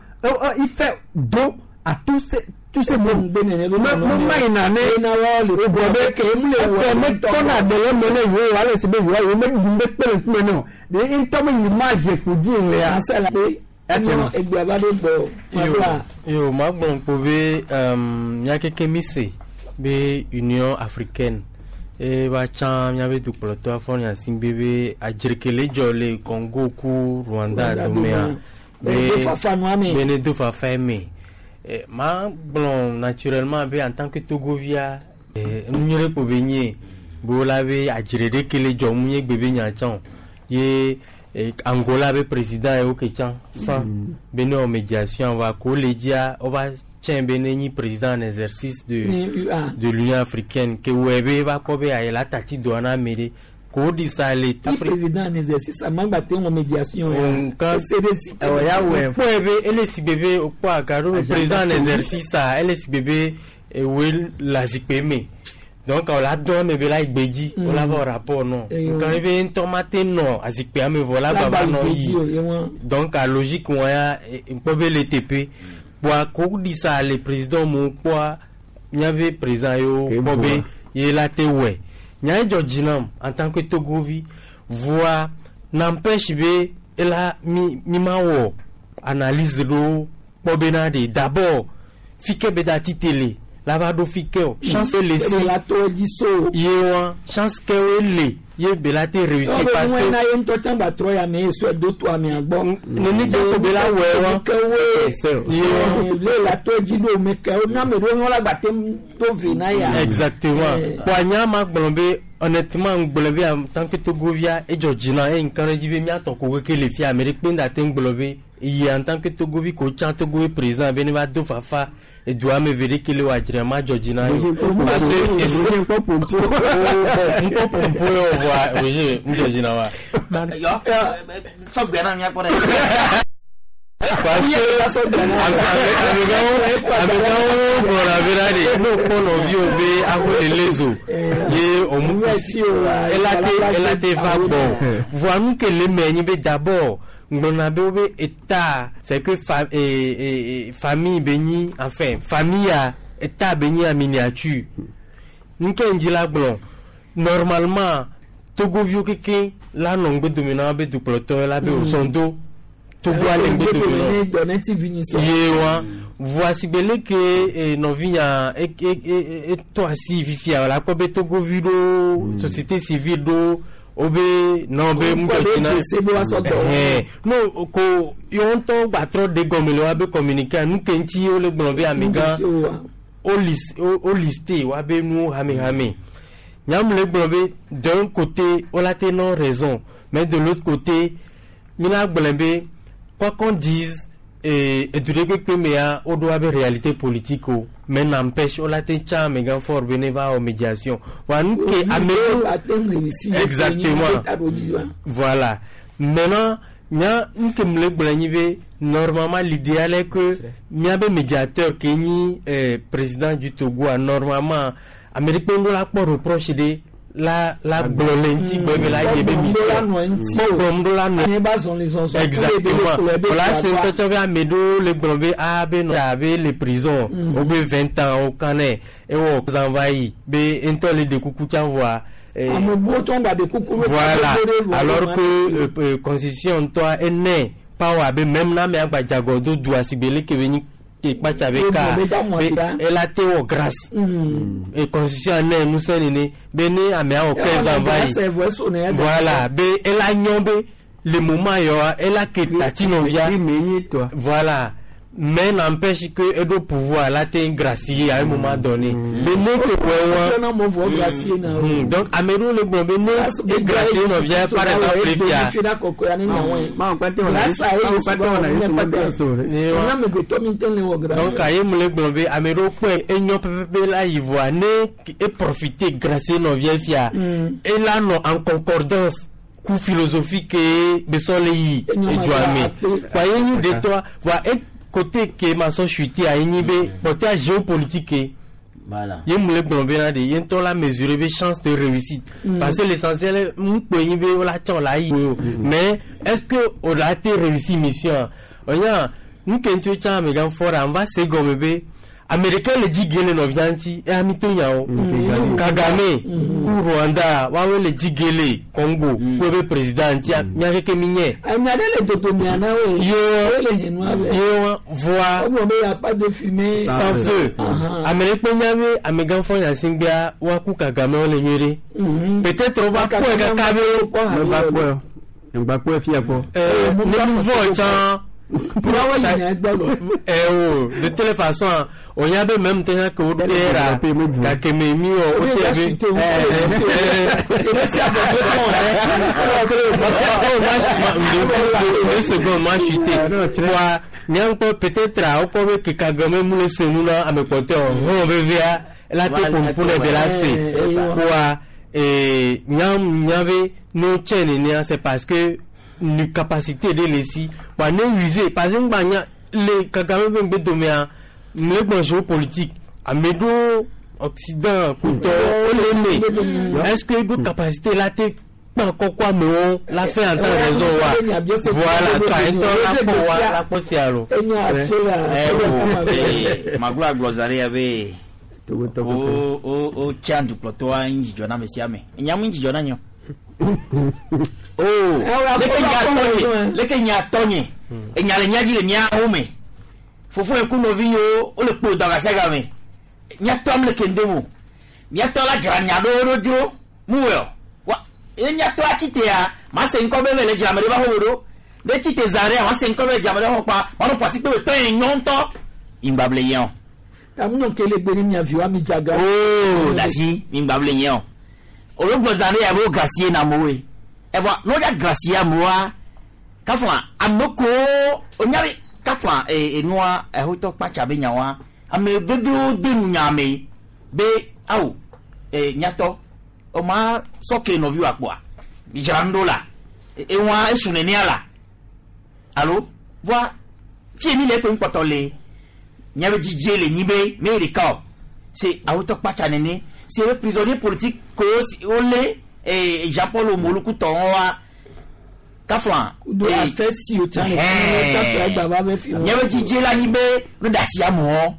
il fait dos à tous ces mots me ma yina ne o gbɔ be ɛfɛ me tsɔna ɖe le me ne yewo ale si be yewo yewo me ɖu be kpe le ŋkume ne o de ŋutɔ me image ko dzi le ya. Egbea va ɖo gbɔ. Yo magblɔ kpo be mía keke mi se be Union africaine e va tsã míabe dukplɔtɔ Faure Gnassingbé be adzrekele dzɔ le Congo ku Rwanda domea be ne do fafa me ma gblɔ naturellement be en tant que Togovia nu nyui ɖe kpo be nye be wola be adzre ɖeke le dzɔ mu nye gbe be nya tsã o ye Angola be président yewo ke tsã san be ne wɔ médiation va ko le dzia wova tsɛ be ne nyi président en exercice de l'Union africaine ke wɔe be va kpɔ be ayi la tati dɔa na ame ɖe. Ko ɖi sa le Ti président en exercice amagba te ŋɔ médiation ya. Nka CDC. kpɔe be ele si gbe be wokpɔ aga ɖo be président en exercice a ele si gbe be ewoe le azikpui me donc wòla dɔn ame be la yi gbedzi wòla va wɔ rapport nɔ nka ebe ŋutɔ ma te nɔ azikpuia me vɔ la gba va nɔ yi donc a logique wɔn ya ŋkpɔ be le teƒe kpoa ko ɖi sa le président mo kpɔa míabe président yiwo kpɔ be ye la te wɔe nya ye dzɔ dzi nam en tant que togovi voa n'empêche be ela mi mi ma wɔ analyse ɖo kpɔ bena de d'abord fi ke be da ti tele la va ɖo fi ke o chance le si la to dzi so. Ye wa chance ke wo le ye be la te réussir parce que que na ye ŋutɔ tsã gba trɔ ya me ye sɔe do to amea gbɔ. Nene dze ko be la wɔe wa. Ke woe le la to dzi ɖo me ke wo na ame ɖewo nyɔ la gba te do ve na ya. Exactement. Kpoa nya ma gblɔ be honnêtement ŋgblɔ be en tant que togovia edzɔ dzi na eye ŋka ɖe dzi be míatɔ ko keke le fia ame ɖe kpe ŋda te ŋgblɔ be yi en tant que togovi ko tsã togo ye président be ne va do fafa edua ame ve ɖeke le wɔ adzra ma dzɔ dzi na ye parce que ŋkpɔ pompo ŋkpɔ pompo ye o voa Roger ŋdzɔ dzi na wa. Yɔ sɔgbɛ na mía kpɔ ɖe. Parce que amegãwo gblɔna bena de ne wokpɔ nɔviwo be aho le le zo ye ɔmu ela te va gbɔ voa nu ke le me nyi be d'abord ŋgblɔna be wobe état c'est que fa, eh, eh, famille be nyi enfin famille ya état be nyi en miniature nu ke ŋdzi la gblɔ normalement togoviwo keke la nɔ ŋgbedome na wobe dukplɔtɔ la be wòsɔn do togoa le ŋgbedome na ye wa voa sigbe leke nɔvinya etɔ asi fifia la kpɔ be togovi ɖo société civile ɖo wobe nɔ be ŋudzɔdzina no ko yewo ŋutɔ gbatrɔ de gɔme le woabe communiqué nu ke ŋuti wole gblɔ be amegã wo liste woabe nuwo hamehame nyamu le gblɔ be d'un côté wola te nɔ raison, mais de l'autre côté mina gblɔ be quoi qu'on dise edu ɖe kpekpe mea woɖo abe réalité politique o mais n'empêche wola te tsa amegã fort be ne va wɔ médiation wa nu ke ame exactement voilà. Maintenant nya nu ke mu le gblɔ nyi be normalement l'idéal est que miabe médiateur ke nyi président du Togo a normalement ame ɖe kpe ŋgɔ la kpɔ reproche ɖe la la gblɔ le ŋuti gbɔ be la ye be mission kpɔgblɔm ɖo la nɔ exactement wòla se ŋutɔ tsɔ be ame ɖewo le gblɔ be a be nɔ abe le prison wo be 20 ans wo kan nɛ ewɔ zan va yi be ŋutɔ le ɖe kuku tsã voa. Voilà, alors que constitution ŋutɔ ene power be même na ame agbadzagɔ do du asigbe leke be nyi kpatsa be ka be ela te wɔ grâce et constitution ne ŋusẽ nene be ne amea wɔ 15 ans va yi voilà be ela nyɔ be le moment yɔ ela ke tati nɔvia voilà, mais n'empêche que eɖo pouvoir la te gracier à un moment donné mais ne ke wɔ wa donc ame ɖewo le gblɔ be ne e gracier nɔvia par exemple fia. Donc aye mu le gblɔ be ame ɖewo kpɔe enyɔ pɛpɛpɛ la yi voa ne e profiter gracier nɔvia fia ela nɔ en concordance ku philosophie ke besɔ le yi edua me wa ye nyi detɔa voa e côté ke ma sɔ chuté a ye nyi be côté géopolitique Voilà. Ye mu le gblɔ bena de ye ŋutɔ la mesurer be chance de réussite parce que l'essentiel mu kpe nyi be wola tsɔ la yi o mais est-ce que o la te réussi mission onya nu ke ŋuti tsã amegã fɔra n va se gɔme be ame ɖeka le dzi ge le nɔvia ŋuti eya mi to nyawo Kagame ku Rwanda woawoe le dzi ge le Congo ku ebe président ŋuti mía keke mi nye. Enya ɖe le dodomea na wo ye. Ye le henua be. Ye wa voa. Wogblɔ be ya pas de fumée. Sans feu. Ame ɖe kpe nya be amegã fɔ nyasingbea woaku Kagame wo le nyuie ɖe. Peut-être wova kpɔe kaka be. Ŋgba kpɔe ŋgba kpɔe fia kpɔ. Ne nu vɔ tsã. Eh oh, de telle façon, on y avait même temps que vous era gake me mi o o te be oh, 2 secondes ma chuté wa miankpɔ peut-être a wokpɔ be ke Kagame mu le se nu na ame kpɔtɔe o hɔn vevia la te pompo ne be la se wa Et nya nya be no tse nenea c'est parce que nu capacité de le si wa ne use parce que ŋgba nya le Kagame be ŋgbe domea mle gbɔn géopolitique ame ɖewo Occident kutɔ wole eme est-ce que ɖo capacité la te kpã kɔkɔ amewo la fait en temps raison wa voilà toi ŋutɔ la kpɔ wa la kpɔ sia lo. Magblɔ agblɔ za ɖe ya be o o o tsa dukplɔtɔa ŋu dzidzɔ na ame sia ame nya mu dzidzɔ na nyɔ. Oh, leke nya tɔnye leke nya tɔnye enya le nya dzi le miawo me fofo yi ku nɔvi yiwo wole kpo dɔgasiaga me miatɔ am le kende mo miatɔ la dzra nya ɖewo ɖo dzro mu wɔ wa ye miatɔ atsi tea ma se ŋkɔ be mele dzra ame ɖe va xɔ ɖo ne tsi te zã ɖea ma se ŋkɔ be dzra ame ɖe xɔ kpa ma nɔ ƒo asi kpe be tɔ ye nyɔ ŋutɔ ŋgbable yɛ o. Tamu kele gbe ni mia viwo ami dzaga. Oo dasi ŋgbable yɛ o olu gbɔ zã ɖe ya be wo gracie na amewoe evɔ ne wodza gracie amewoa kafla ame kowo onya be kafla ee enua exotɔ kpatsa be nyawoa ame veviwo de nu nya me be awo ee nyatɔ ɔma sɔke nɔviwo akpɔa midzra nu ɖo la ewa esu nenea la alo voa fie mi le eƒe ŋkpɔtɔ le miabe dzidze le nyi be me ɖeka o se awotɔ kpatsa nene se be prisonnier politique ko wole ee Jean Paul Molukutɔ wa kafla Do afɛ si o tsa ne fi o tsa gba be fi. miabe dzidze la nyi be no da asi amewo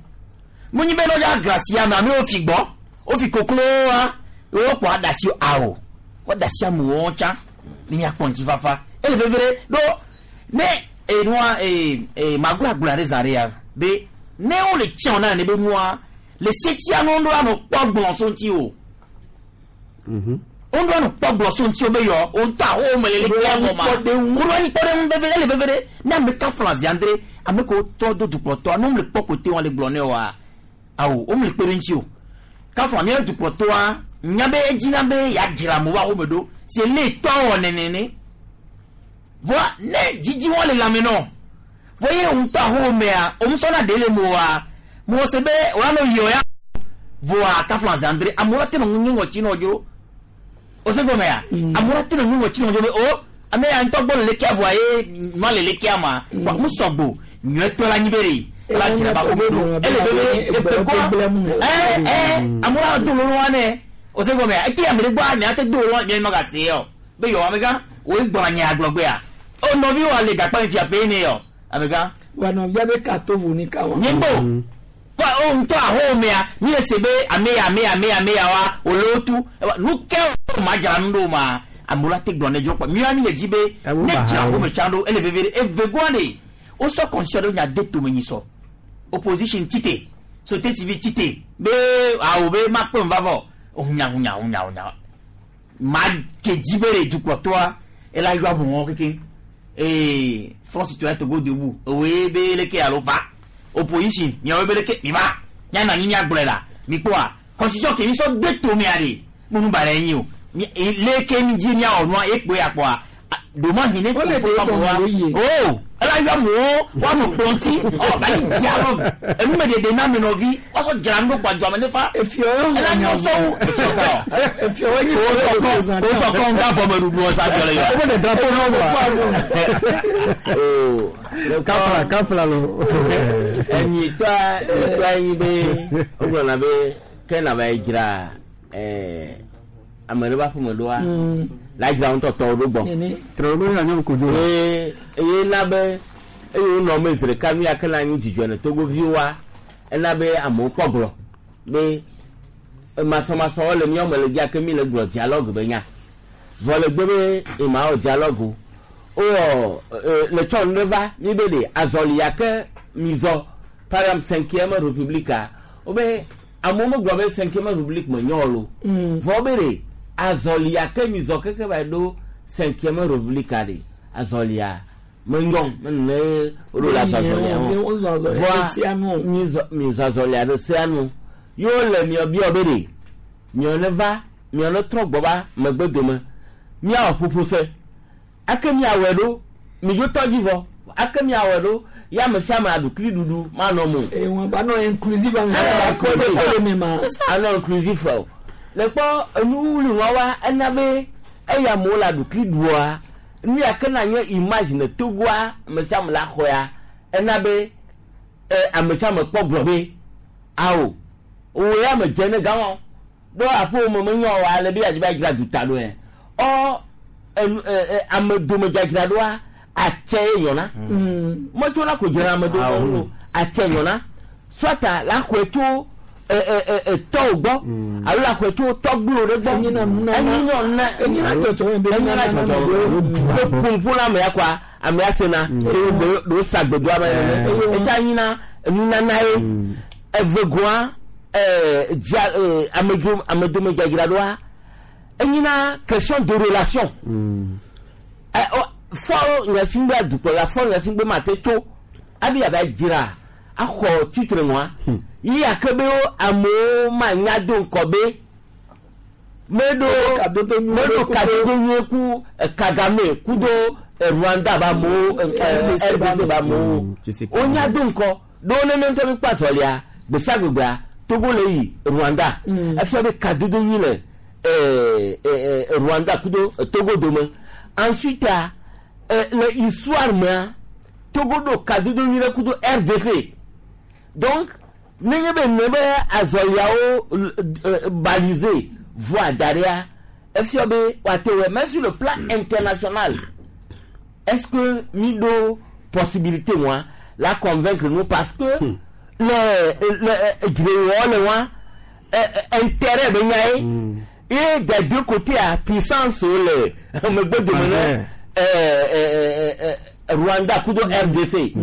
mo nyi be no da gracie ame amewo fi gbɔ wofi koklo wa wokpɔ adasi awo wɔ da asi amewo tsa ne miakpɔ ŋutifafa ele veve ɖe ɖo ne enua ee ee magblɔ agblɔ ɖe zã ɖe ya be ne wole tiɲɛ na ne be nua le setia nu ɖo anɔ kpɔ gblɔ so ŋuti o wo ɖo anɔ kpɔ gblɔ so ŋuti o be yɔ o ŋutɔ aho me le le kia gɔma wo ɖo anyi kpɔ ɖe ŋu veve ele veve ɖe ne ame ka fla ziandre ame ko tɔ do dukplɔtɔa ne wo le kpɔ kote wɔn le gblɔ ne wa awo wo le kpe ɖe ŋuti o kafla mía dukplɔtɔa nya be edzina be yeadzra amewo aho me ɖo si le tɔ wɔ nenene voa ne dzidzi wɔn le lãme nɔ vɔ ye ŋutɔ aho mea omusɔna ɖe le mo wa mo se be woanɔ yɔ ya voa kafla ziandre amewo la te nɔ ŋu ŋɔtsi nɔ dzro o se gɔmea amewo la te nɔ ŋu ŋɔtsi nɔ dzro be o ame ya ŋutɔ gbɔ le lekea voa ye nua le lekea ma wa mu sɔgbo nyuietɔ la nyi be de la dzra ba ko do ele veve efe kɔ ɛ ɛ amewo la do lolo wa nɛ o se gɔmea ete ame ɖe gbɔ mia te do lolo mia ma ga se yɔ be yɔ amegã wo gbɔna nye agblɔgbea o nɔvi wa le gakpa mi fia pe ne yɔ amegã. Wa nɔvia be ka to vo ni ka wa. Nyimbo wa o ŋutɔ aho mea mi le se be ame ya ame ya ame ya ame ya wa wòle wo tu nu ke o ma dzra nu ɖo ma amewo la te gblɔ ne dzro kpɔ mi wa mi le dzi be ne dzra aho me tsã ɖo ele veve ɖe eve goa de wosɔ constitution ɖe nya de tome nyi sɔ opposition tite société civile tite be awo be ma kpe va vɔ hunya hunya hunya hunya ma ke dzi be ɖe dukplɔtɔa ela yɔ amewo keke ee Front Citoyen Togo Debout oye be leke alo va opposition miawo be leke mi va mianɔ anyi miagblɔe la mi kpɔa constitution ke mi sɔ de tomea ɖe munu ba ɖe nyi o mi leke mi dzi miawɔ nua ekpoe akpɔa ɖomahi ne Wole kpo ɖe amewoa gɔme ye. o ela yɔ amewo woanɔ kplɔ̃ ŋuti ɔ ba yi dialogue enumeɖeɖe na ame nɔvi woasɔ dzra nu ɖo kpa dzɔame ne fa Efiɔ yɔ ela nyɔ sɔwu efiɔ ka Efiɔ wɔ nyi wosɔ kɔ wosɔ kɔ ŋga vɔme ɖuɖu ɔsa dzɔ le yɔ. Wo de drapeau na wa. Kafla kafla lo. Enyi tɔa tɔa yi be wogblɔna be ke na va yi dzra ɛɛ ame ɖe ƒe aƒeme ɖoa la dzra ŋutɔ tɔwo ɖo gbɔ. Trɔ be anya kodzo. Eye eye na be eye wonɔ me zi ɖeka nu ya ke na anyi dzidzɔ ne togoviwoa ena be amewo kpɔ gblɔ be masɔmasɔwo le míawo me le dzia ke mi le gblɔ dialogue be nya vɔ le gbe be ema wɔ dialogue o wowɔ le tsɔ nu ɖe va mi be ɖe azɔli ya ke mi zɔ par exemple cinquième république a wobe amewo megblɔ be cinquième république me nyɔ o vɔ be ɖe azɔli ya ke mi zɔ keke va ɖo cinquième république a ɖe azɔlia me nyɔ mene woɖo le azɔlia Wo zɔ azɔlia ɖe sea nu o. vɔa mi zɔ mi zɔ azɔlia ɖe sea nu yewo le miɔ biɔ be ɖe miɔ ne va miɔ ne trɔ gbɔ va megbe dome miawɔ ƒoƒo se ake miawɔe ɖo midzo tɔ dzi vɔ ake miawɔe ɖo ya ame sia ame aɖukli ɖuɖu manɔ mo. Wọn bá nọ inclusive àwọn ìṣẹ̀lẹ̀ àkọsílẹ̀ mi ma. Anɔ inclusive o. Le kpɔ enuwuli wa wa ena be eya amewo le aɖukli ɖua nu ya ke na nye image ne Togoa ame sia ame la xɔa ena be ɛ ame sia ame kpɔ gblɔ be awo wo ya me dze ne gama ɖo aƒewo me menyo wa ale be yadzi be adzra duta ɖo yɛ ɔ enu ɛ ɛ ame dome dzadzra ɖoa atse ye nyɔna metsona ko dzra ame dome o atse nyɔna sɔta la xɔe tso ɛ ɛ ɛ ɛ tɔwo gbɔ alo la xɔe tso tɔgbuiwo ɖe gbɔ Enyina nunana. enyina na Enyina dzɔdzɔ yɛ be enyina nunana dzɔdzɔ be be ƒoƒo na amea kɔa amea sena se wo gbe ɖewo sa gbedo ame nene etsa nyina nunana ye evegoa ɛɛ dzia ɛɛ amedzo amedome dzadzra ɖoa enyina question de relation ɛ ɔ fɔ Gnassingbé dukplɔla fɔ Gnassingbé ma te tso abi ava dzra axɔ titre ŋua yi ake be wo amewo ma nya do ŋkɔ be meɖo meɖo kadodo nyuie ku Kagame kudo Rwanda ba amewo RDC ba amewo wonya do ŋkɔ ɖewo nene ŋutɔ mi kpɔ azɔlia gbesiagbegbea Togo le yi Rwanda efia be kadodo nyui le Rwanda kudo Togo dome. Ensuite le histoire mea Togo ɖo kadodo nyui ɖe kudo RDC donc nenye be ne be azɔliawo balisé voie da ɖea efia be woate wɔ. Mais sur le plan international, est-ce que mi ɖo possibilité wa la convaincre nous parce que le dzrewɔ le wa intérêt be nya ye et des deux côtés a puissance wo le megbe dome ne Rwanda kudo RDC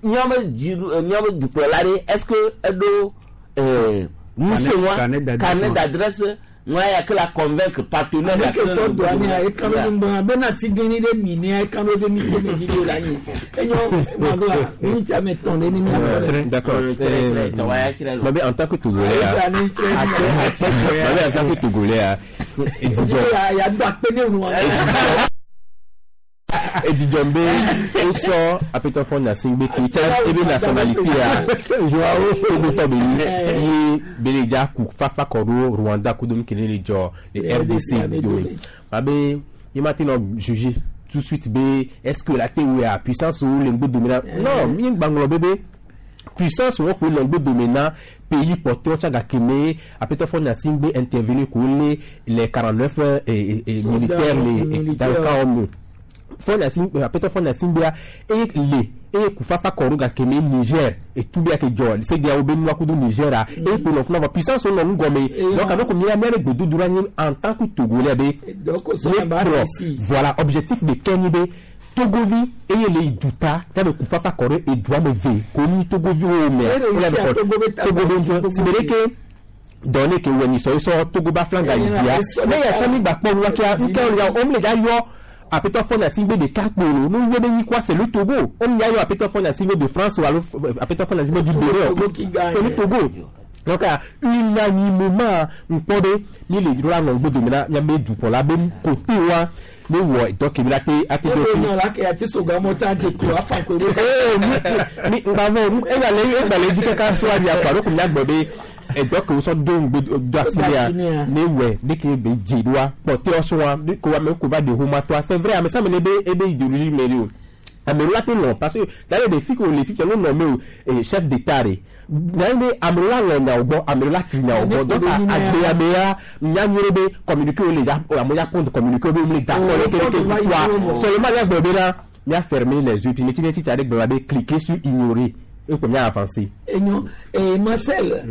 miabe dzi miabe dukplɔla ɖe est-ce que eɖo ŋusẽ wa Carnet d'adresse carnet wa. d'adresse ŋua ya ke la convaincre partenaire ame ya ke ke sɔ le do amea eka ɖo ŋgbɔn abe na tiglinyi ɖe mi nea eka ɖo be mi to me vi la nyi enyo magla mi ti ame tɔn ɖe ni mi ame. D'accord. Mais en tant que Togolais, Ayi, ah, mais en tant que Togolais, ah, et Dijon, ya do akpe ne ŋua. et Dijon be, on sort à Peter Gnassingbé qui tient et bien nationalité à Joao Togo Tobeli, et Beleja ku Fafa Koro Rwanda Kudum Kenele Jo, le RDC Dome. Mabe, il m'a jugé tout de suite be, est-ce que la TOA puissance ou l'Engbo domina? Non, mi banglo bébé. Puissance wo ko longbo domina pays porteur tchaga keme a Peter Gnassingbé intervenu ko les 49 et militaires les dans le cas homme Faure Peter Gnassingbé et les et kufafa kɔrɔ keme Niger et tout bien que jɔ c'est dia obe nua kudu Niger a et pour l'enfant puissance on n'ont gomme donc avec combien mère gbedu dura ni en tant que Togolais be voilà objectif de Kenny be Togovi eye le duta tabe kufafa kɔrɔ et doit me ve komi Togovi o mɛ Togo sibere dɔnni ke wɛni sɔ sɔ Togo ba flanga yi dia ne ya tsami gba kpɔ nuwa kia nke ya o mi le dza yɔ Apétɔ Faure Gnassingbé de Kakpolo nous yɛ be nyi quoi c'est le Togo on y a eu Apétɔ Faure Gnassingbé de France ou alors Apétɔ Faure Gnassingbé du Bénin c'est le Togo donc unanimement nkpɔ be mi le dro la nɔ gbɔdɔ mi la miabe dukɔ la be côté wa ne wɔ dɔ kemi la te ate do fi. la ke ati soga mɔ tsa dze ko afa ko. Ee mi mi ngbavɔ egbalẽ egbalẽ dzi kaka so adi akpa ɖo ko miagbɔ be ɛdɔ ke wosɔ do ŋgbe do asi lia ne wɛ ne ke be dze ɖoa kpɔtɛ ɔsɔa ne ko ame ko va de homa toa c'est vrai ame sia ame ne be ebe idéologie me le o ame ɖewo la te lɔn parce que d'ailleurs des filles que les filles qui ont nommé o chef d'état de n'ayi be ame ɖewo la lɔn nyawo gbɔ ame ɖewo la tri nyawo gbɔ donc agbeyamea nya nyuie be communiqué wo le ya amewo ya pɔnt communiqué wo be wo le d'accord ne keke wa seulement miagblɔ be na mia fermer les yeux puis meti meti tsa ɖe gblɔ be cliquer sur ignorer et ko mia avancer. Enyo ee Marcel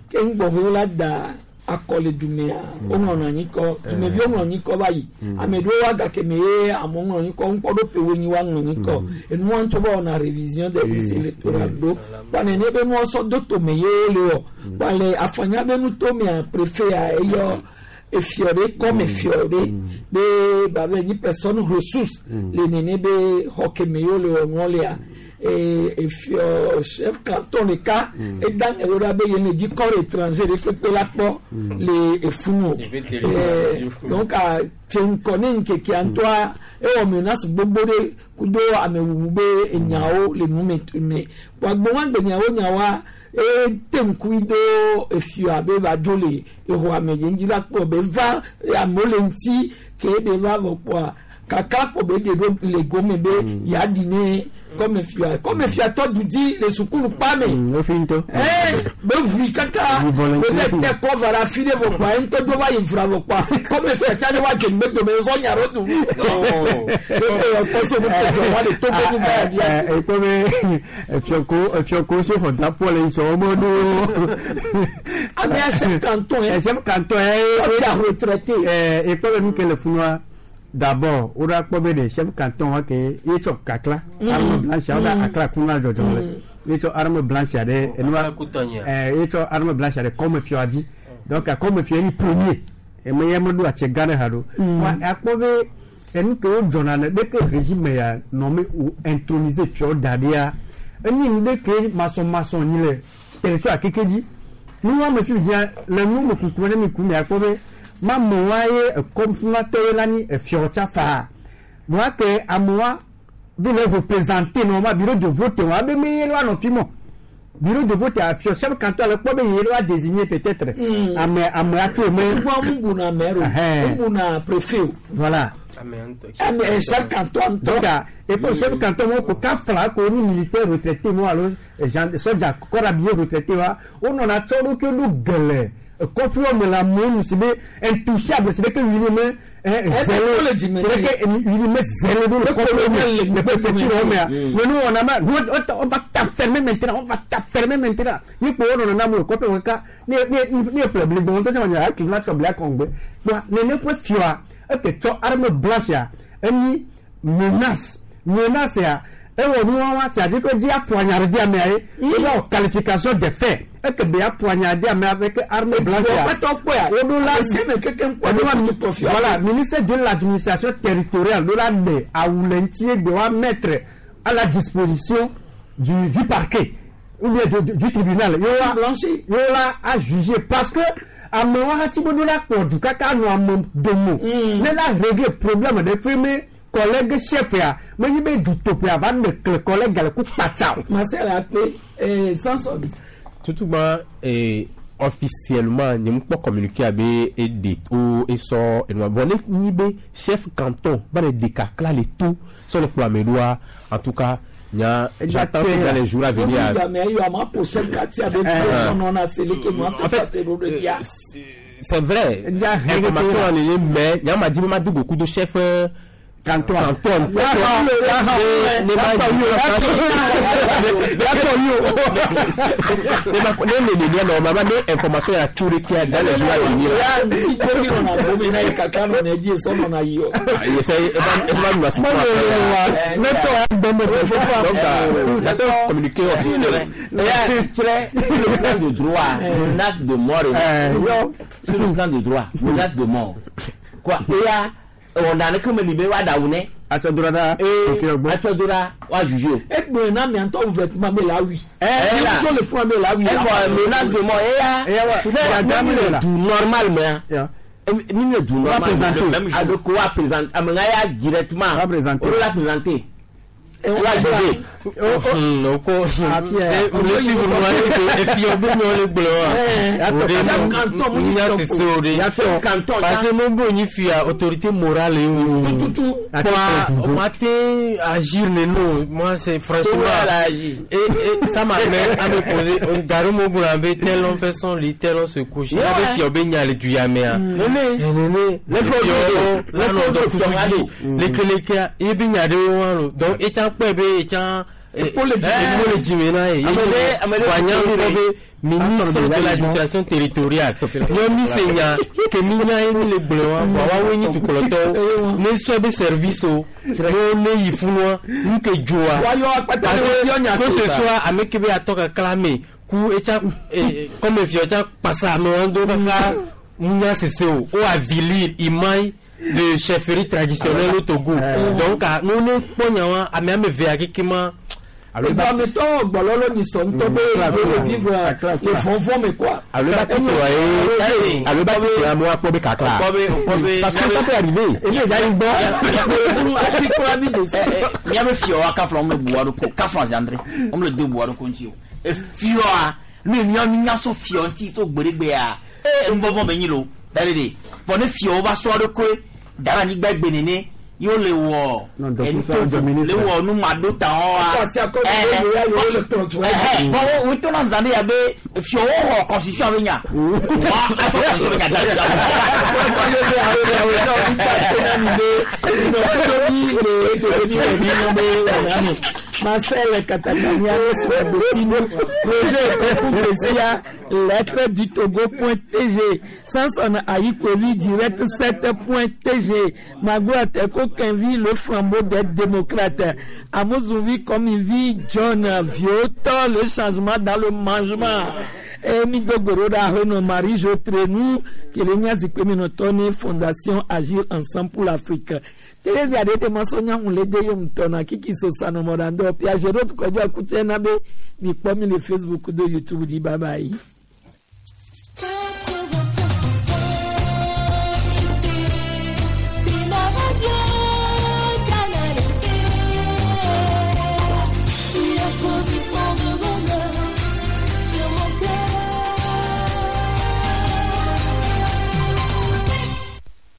ke ŋgbɔ la da akɔle dumea woŋlɔ anyi kɔ dumeviwo ŋlɔ anyi kɔ va yi ame ɖewo wa gake me ye amewo ŋlɔ anyi kɔ ŋkpɔ ɖo pewo nyi wa ŋlɔ anyi kɔ enua ŋutɔ va wɔna révision de liste électorale ɖo kpa nene be nua sɔ do tome ye wole wɔ kpa le afanya be nutomea préfet eyɔ efiɔ ɖe kɔme fiɔ ɖe be babe nyi personne ressource le nene be xɔ keme ye wole wɔ nua lea. Efiɔ chef canton ɖeka eda ŋe ɖo be yene dzi corps étranger ɖe kpekpe la kpɔ le efunu o. Donc tse ŋkɔ ne ŋkekea ŋutɔa, ewɔ menace gbogbo ɖe kudo amewuwu be enyawo le nu me me wagbo wa gbe nyawo nyawoa, ete ŋkui do efia be va dzo le exɔa me ye ŋdzi la kpɔ be va amewo le ŋuti ke be va vɔ kpɔa kaka kpɔ be ɖe ɖo le gome be yeaɖi ne kɔme fia kɔme fia tɔ du dzi le sukulu kpa me. Wofi ŋutɔ. Be ʋui kaka be be te kɔ va ɖe afi ɖe vɔ kpɔa, ye ŋutɔ dzo va yi vra vɔ kpɔa, kɔme fia tsa ne wa dze ŋgbe dome zɔ nya ɖo du be kpɔ so nu ke dzɔ wa le Togo nyigba ya dzi. Ekpɔ be efiɔko efiɔko si xɔ drapeau le sɔ wɔmɔ ɖo. Amea chef canton yɛ. Chef canton yɛ. Ɔtí retraité. Ekpɔ be nu ke le funua, d'abord o da kpɔ be de chef canton wa ke ye tsɔ kakla arme blanche o da akla kuna dzɔdzɔ le ye tsɔ arme blanche ɖe enua ye tsɔ arme blanche ɖe kɔme fia dzi. Donc kɔme fia ni premier eme ye me ɖo atse gã ɖe ha ɖo wa akpɔ be enu ke wo dzɔna ne ɖeke régime ya nɔ me o introniser fiawo da ɖia, enyi nu ɖe ke masɔmasɔ nyi le territoire keke dzi. Nu wa me fi dzia le nu me kuku ne mi ku mi akpɔ be mamewa ye ekɔmfunatɔwo la nyi efiawo tsa faa voa ke amewa vi le représenter normalement bureau de vote wa be me ye la nɔ fi mɔ bureau de vote afiɔ chef canton le kpɔ be ye la désigner peut-être ame atso me. Tukua mu buna maire o, mu buna préfet o. Voilà. Ame chef canton ŋutɔ. Donc et pour chef canton mo ko ka fla ko ni militaire retraité mo alo gen soldat corps habillé retraité wa o nɔna tsɔ ɖo ke ɖo gɛlɛ kɔfiwɔ me la amewo nu si be intouchable, si be ke wuli me zɛlɛ, si be ke wuli me zɛlɛ ɖo le kɔfiwɔ me le préfecture mea mais nous on a ma nous on va t'enfermer maintenant, on va t'enfermer maintenant. Yi kpo wo nɔnɔ na mo le kɔfiwɔ kaka ne ne ne ƒle bli gbɔn tó sɛ wɔnyɛ akili na tsɔ blia kɔngbe bon nene ƒe fia eke tsɔ arme blanche ya enyi menace menace ya ewɔ nu wa c'est-à-dire que dzi apoignarder amea ye wowɔ qualification de fait eke be apoignarder amea avec arme blanche ya woɖo la voilà, ministère de l'Administration territoriale ɖo la ɖe awu le ŋuti egbe wa mettre à la disposition du parquet ou bien du tribunal yo la a jugé parce que amewo hati be ɖo la kplɔ du kaka nɔ ame domo ne la régler problème de fi me collègue chef ya menye be dutoƒe ava ɖe kle collègue le ku kpatsa o. Marcel akpe Samson. Tutugba officiellement nye ŋu kpɔ communiqué abe eɖe o esɔ enua vɔ ne nyi be chef canton va le ɖeka kla le to sɔ le kplɔ ame ɖoa, en tout cas nya j'attends que dans les jours à venir. En fait, c'est vrai, information en ligne, mais nya ma di be ma do beaucoup de chef canton canton ne ma ne ne ne normalement ne information ya tso ɖe kia dans les jours à venir. Si tomi nɔna gome na ye kaka nɔna edzi esɔ nɔna yi o. Eva nua si. Ne tɔ ya gbɛmɛ fofo. Donc j'attends communiqué officiel. Très sur le plan de droit, menace de mort, sur le plan de droit, menace de mort quoi, eya wɔna ne keme li be wa ɖawu ne. Atsɔdora ɖa. Ee, atsɔdora wa juge o. Egbe na mi ŋutɔ ouvertement be la wi. Ɛɛ la tó le fún be la wi. Ɛfɔ menace de mort eya ne mi le du normal mea, mi le du normal adoko wa présenter ame ŋa ya directement o la présenter wa juger. Oko le suivre moi efiɔ be nyɔ le gblɔ wa o de nya sese o de parce que mo bo nyi fia autorité morale ye o quoi ma te agir neno. Moi, c'est franchement et ça m'amène à me poser garo mo gblɔ be tel homme fait son lit, tel homme se couche ya be fiɔ be nya le du ya mea nene fiɔ lanɔ dɔ fufu dzi lekelekea ye be nya ɖewo wa lo donc etsa kpɔe be etsa ekpo le dzime na ye wanya ŋkɔ be ministre de l'Administration territoriale nyɔ mi se nya ke mi nya ye mi le gblɔ wa vɔa woawoe nyi dukplɔtɔwo ne sɔ be service o ne ne yi funua nu ke dzoa parce que que ce soit ame ke be atɔ kakla me ku etsa comme fiɔ tsa kpasa amewo do kaka ŋunya sese o o avilir imai de chefferie traditionnelle au Togo. Donc, nous ne kpɔ nya wa ame ame vea keke ma. Alo eba ti- Eduametɔ gbɔlɔlɔ ni sɔ ŋutɔ be Kla, ye le kla. vivre Kla, kla. le vɔvɔ me quoi. Alo eba ti tɔ ye alo eba ti tɔ amewo akpɔ be kakla. Parce que ça peut arriver. Eye da yi gbɔ. Ati kura mi de se. Miabe fiɔwa kafla wɔn le bua ɖo ko kafla zandre wɔn le do bua ɖo ko ŋuti o efiɔa nu yi miɔ nya so fiɔ ŋuti so gbeɖegbea ee nuvɔvɔ me nyi lo da ɖe de vɔ ne fiɔwo va sɔ ɖo koe da ɖe anyigba gbe nene ye wole wɔ Non, donc, enu ça, on tovo ministre. le wɔ numaɖo ta Akɔ asi akɔ mi ye ya yewo le kplɔ tso. wɔa vɔ wo to na zan de ya be fiɔwo xɔ constitution be nya wa asɔ constitution be nya da Marcel Katakania Swadosino, projet Kokou lettre du Togo.tg, Sanson Aïkovi, direct 7.tg, Magua Teko Kenvi, le flambeau des démocrates, Amozouvi Komivi, John Vioto, le changement dans le mangement. Emi Dogoroda Reno Marie Jotrenou, Kelenya Zikweminotoni, Fondation Agir Ensemble pour l'Afrique. Thérèse Adede Masonya Hulede Yomtona, Kiki Sosano Morando, Piagerot Kodjo Akutena Be, Mikpomi le Facebook de YouTube, dit bye bye.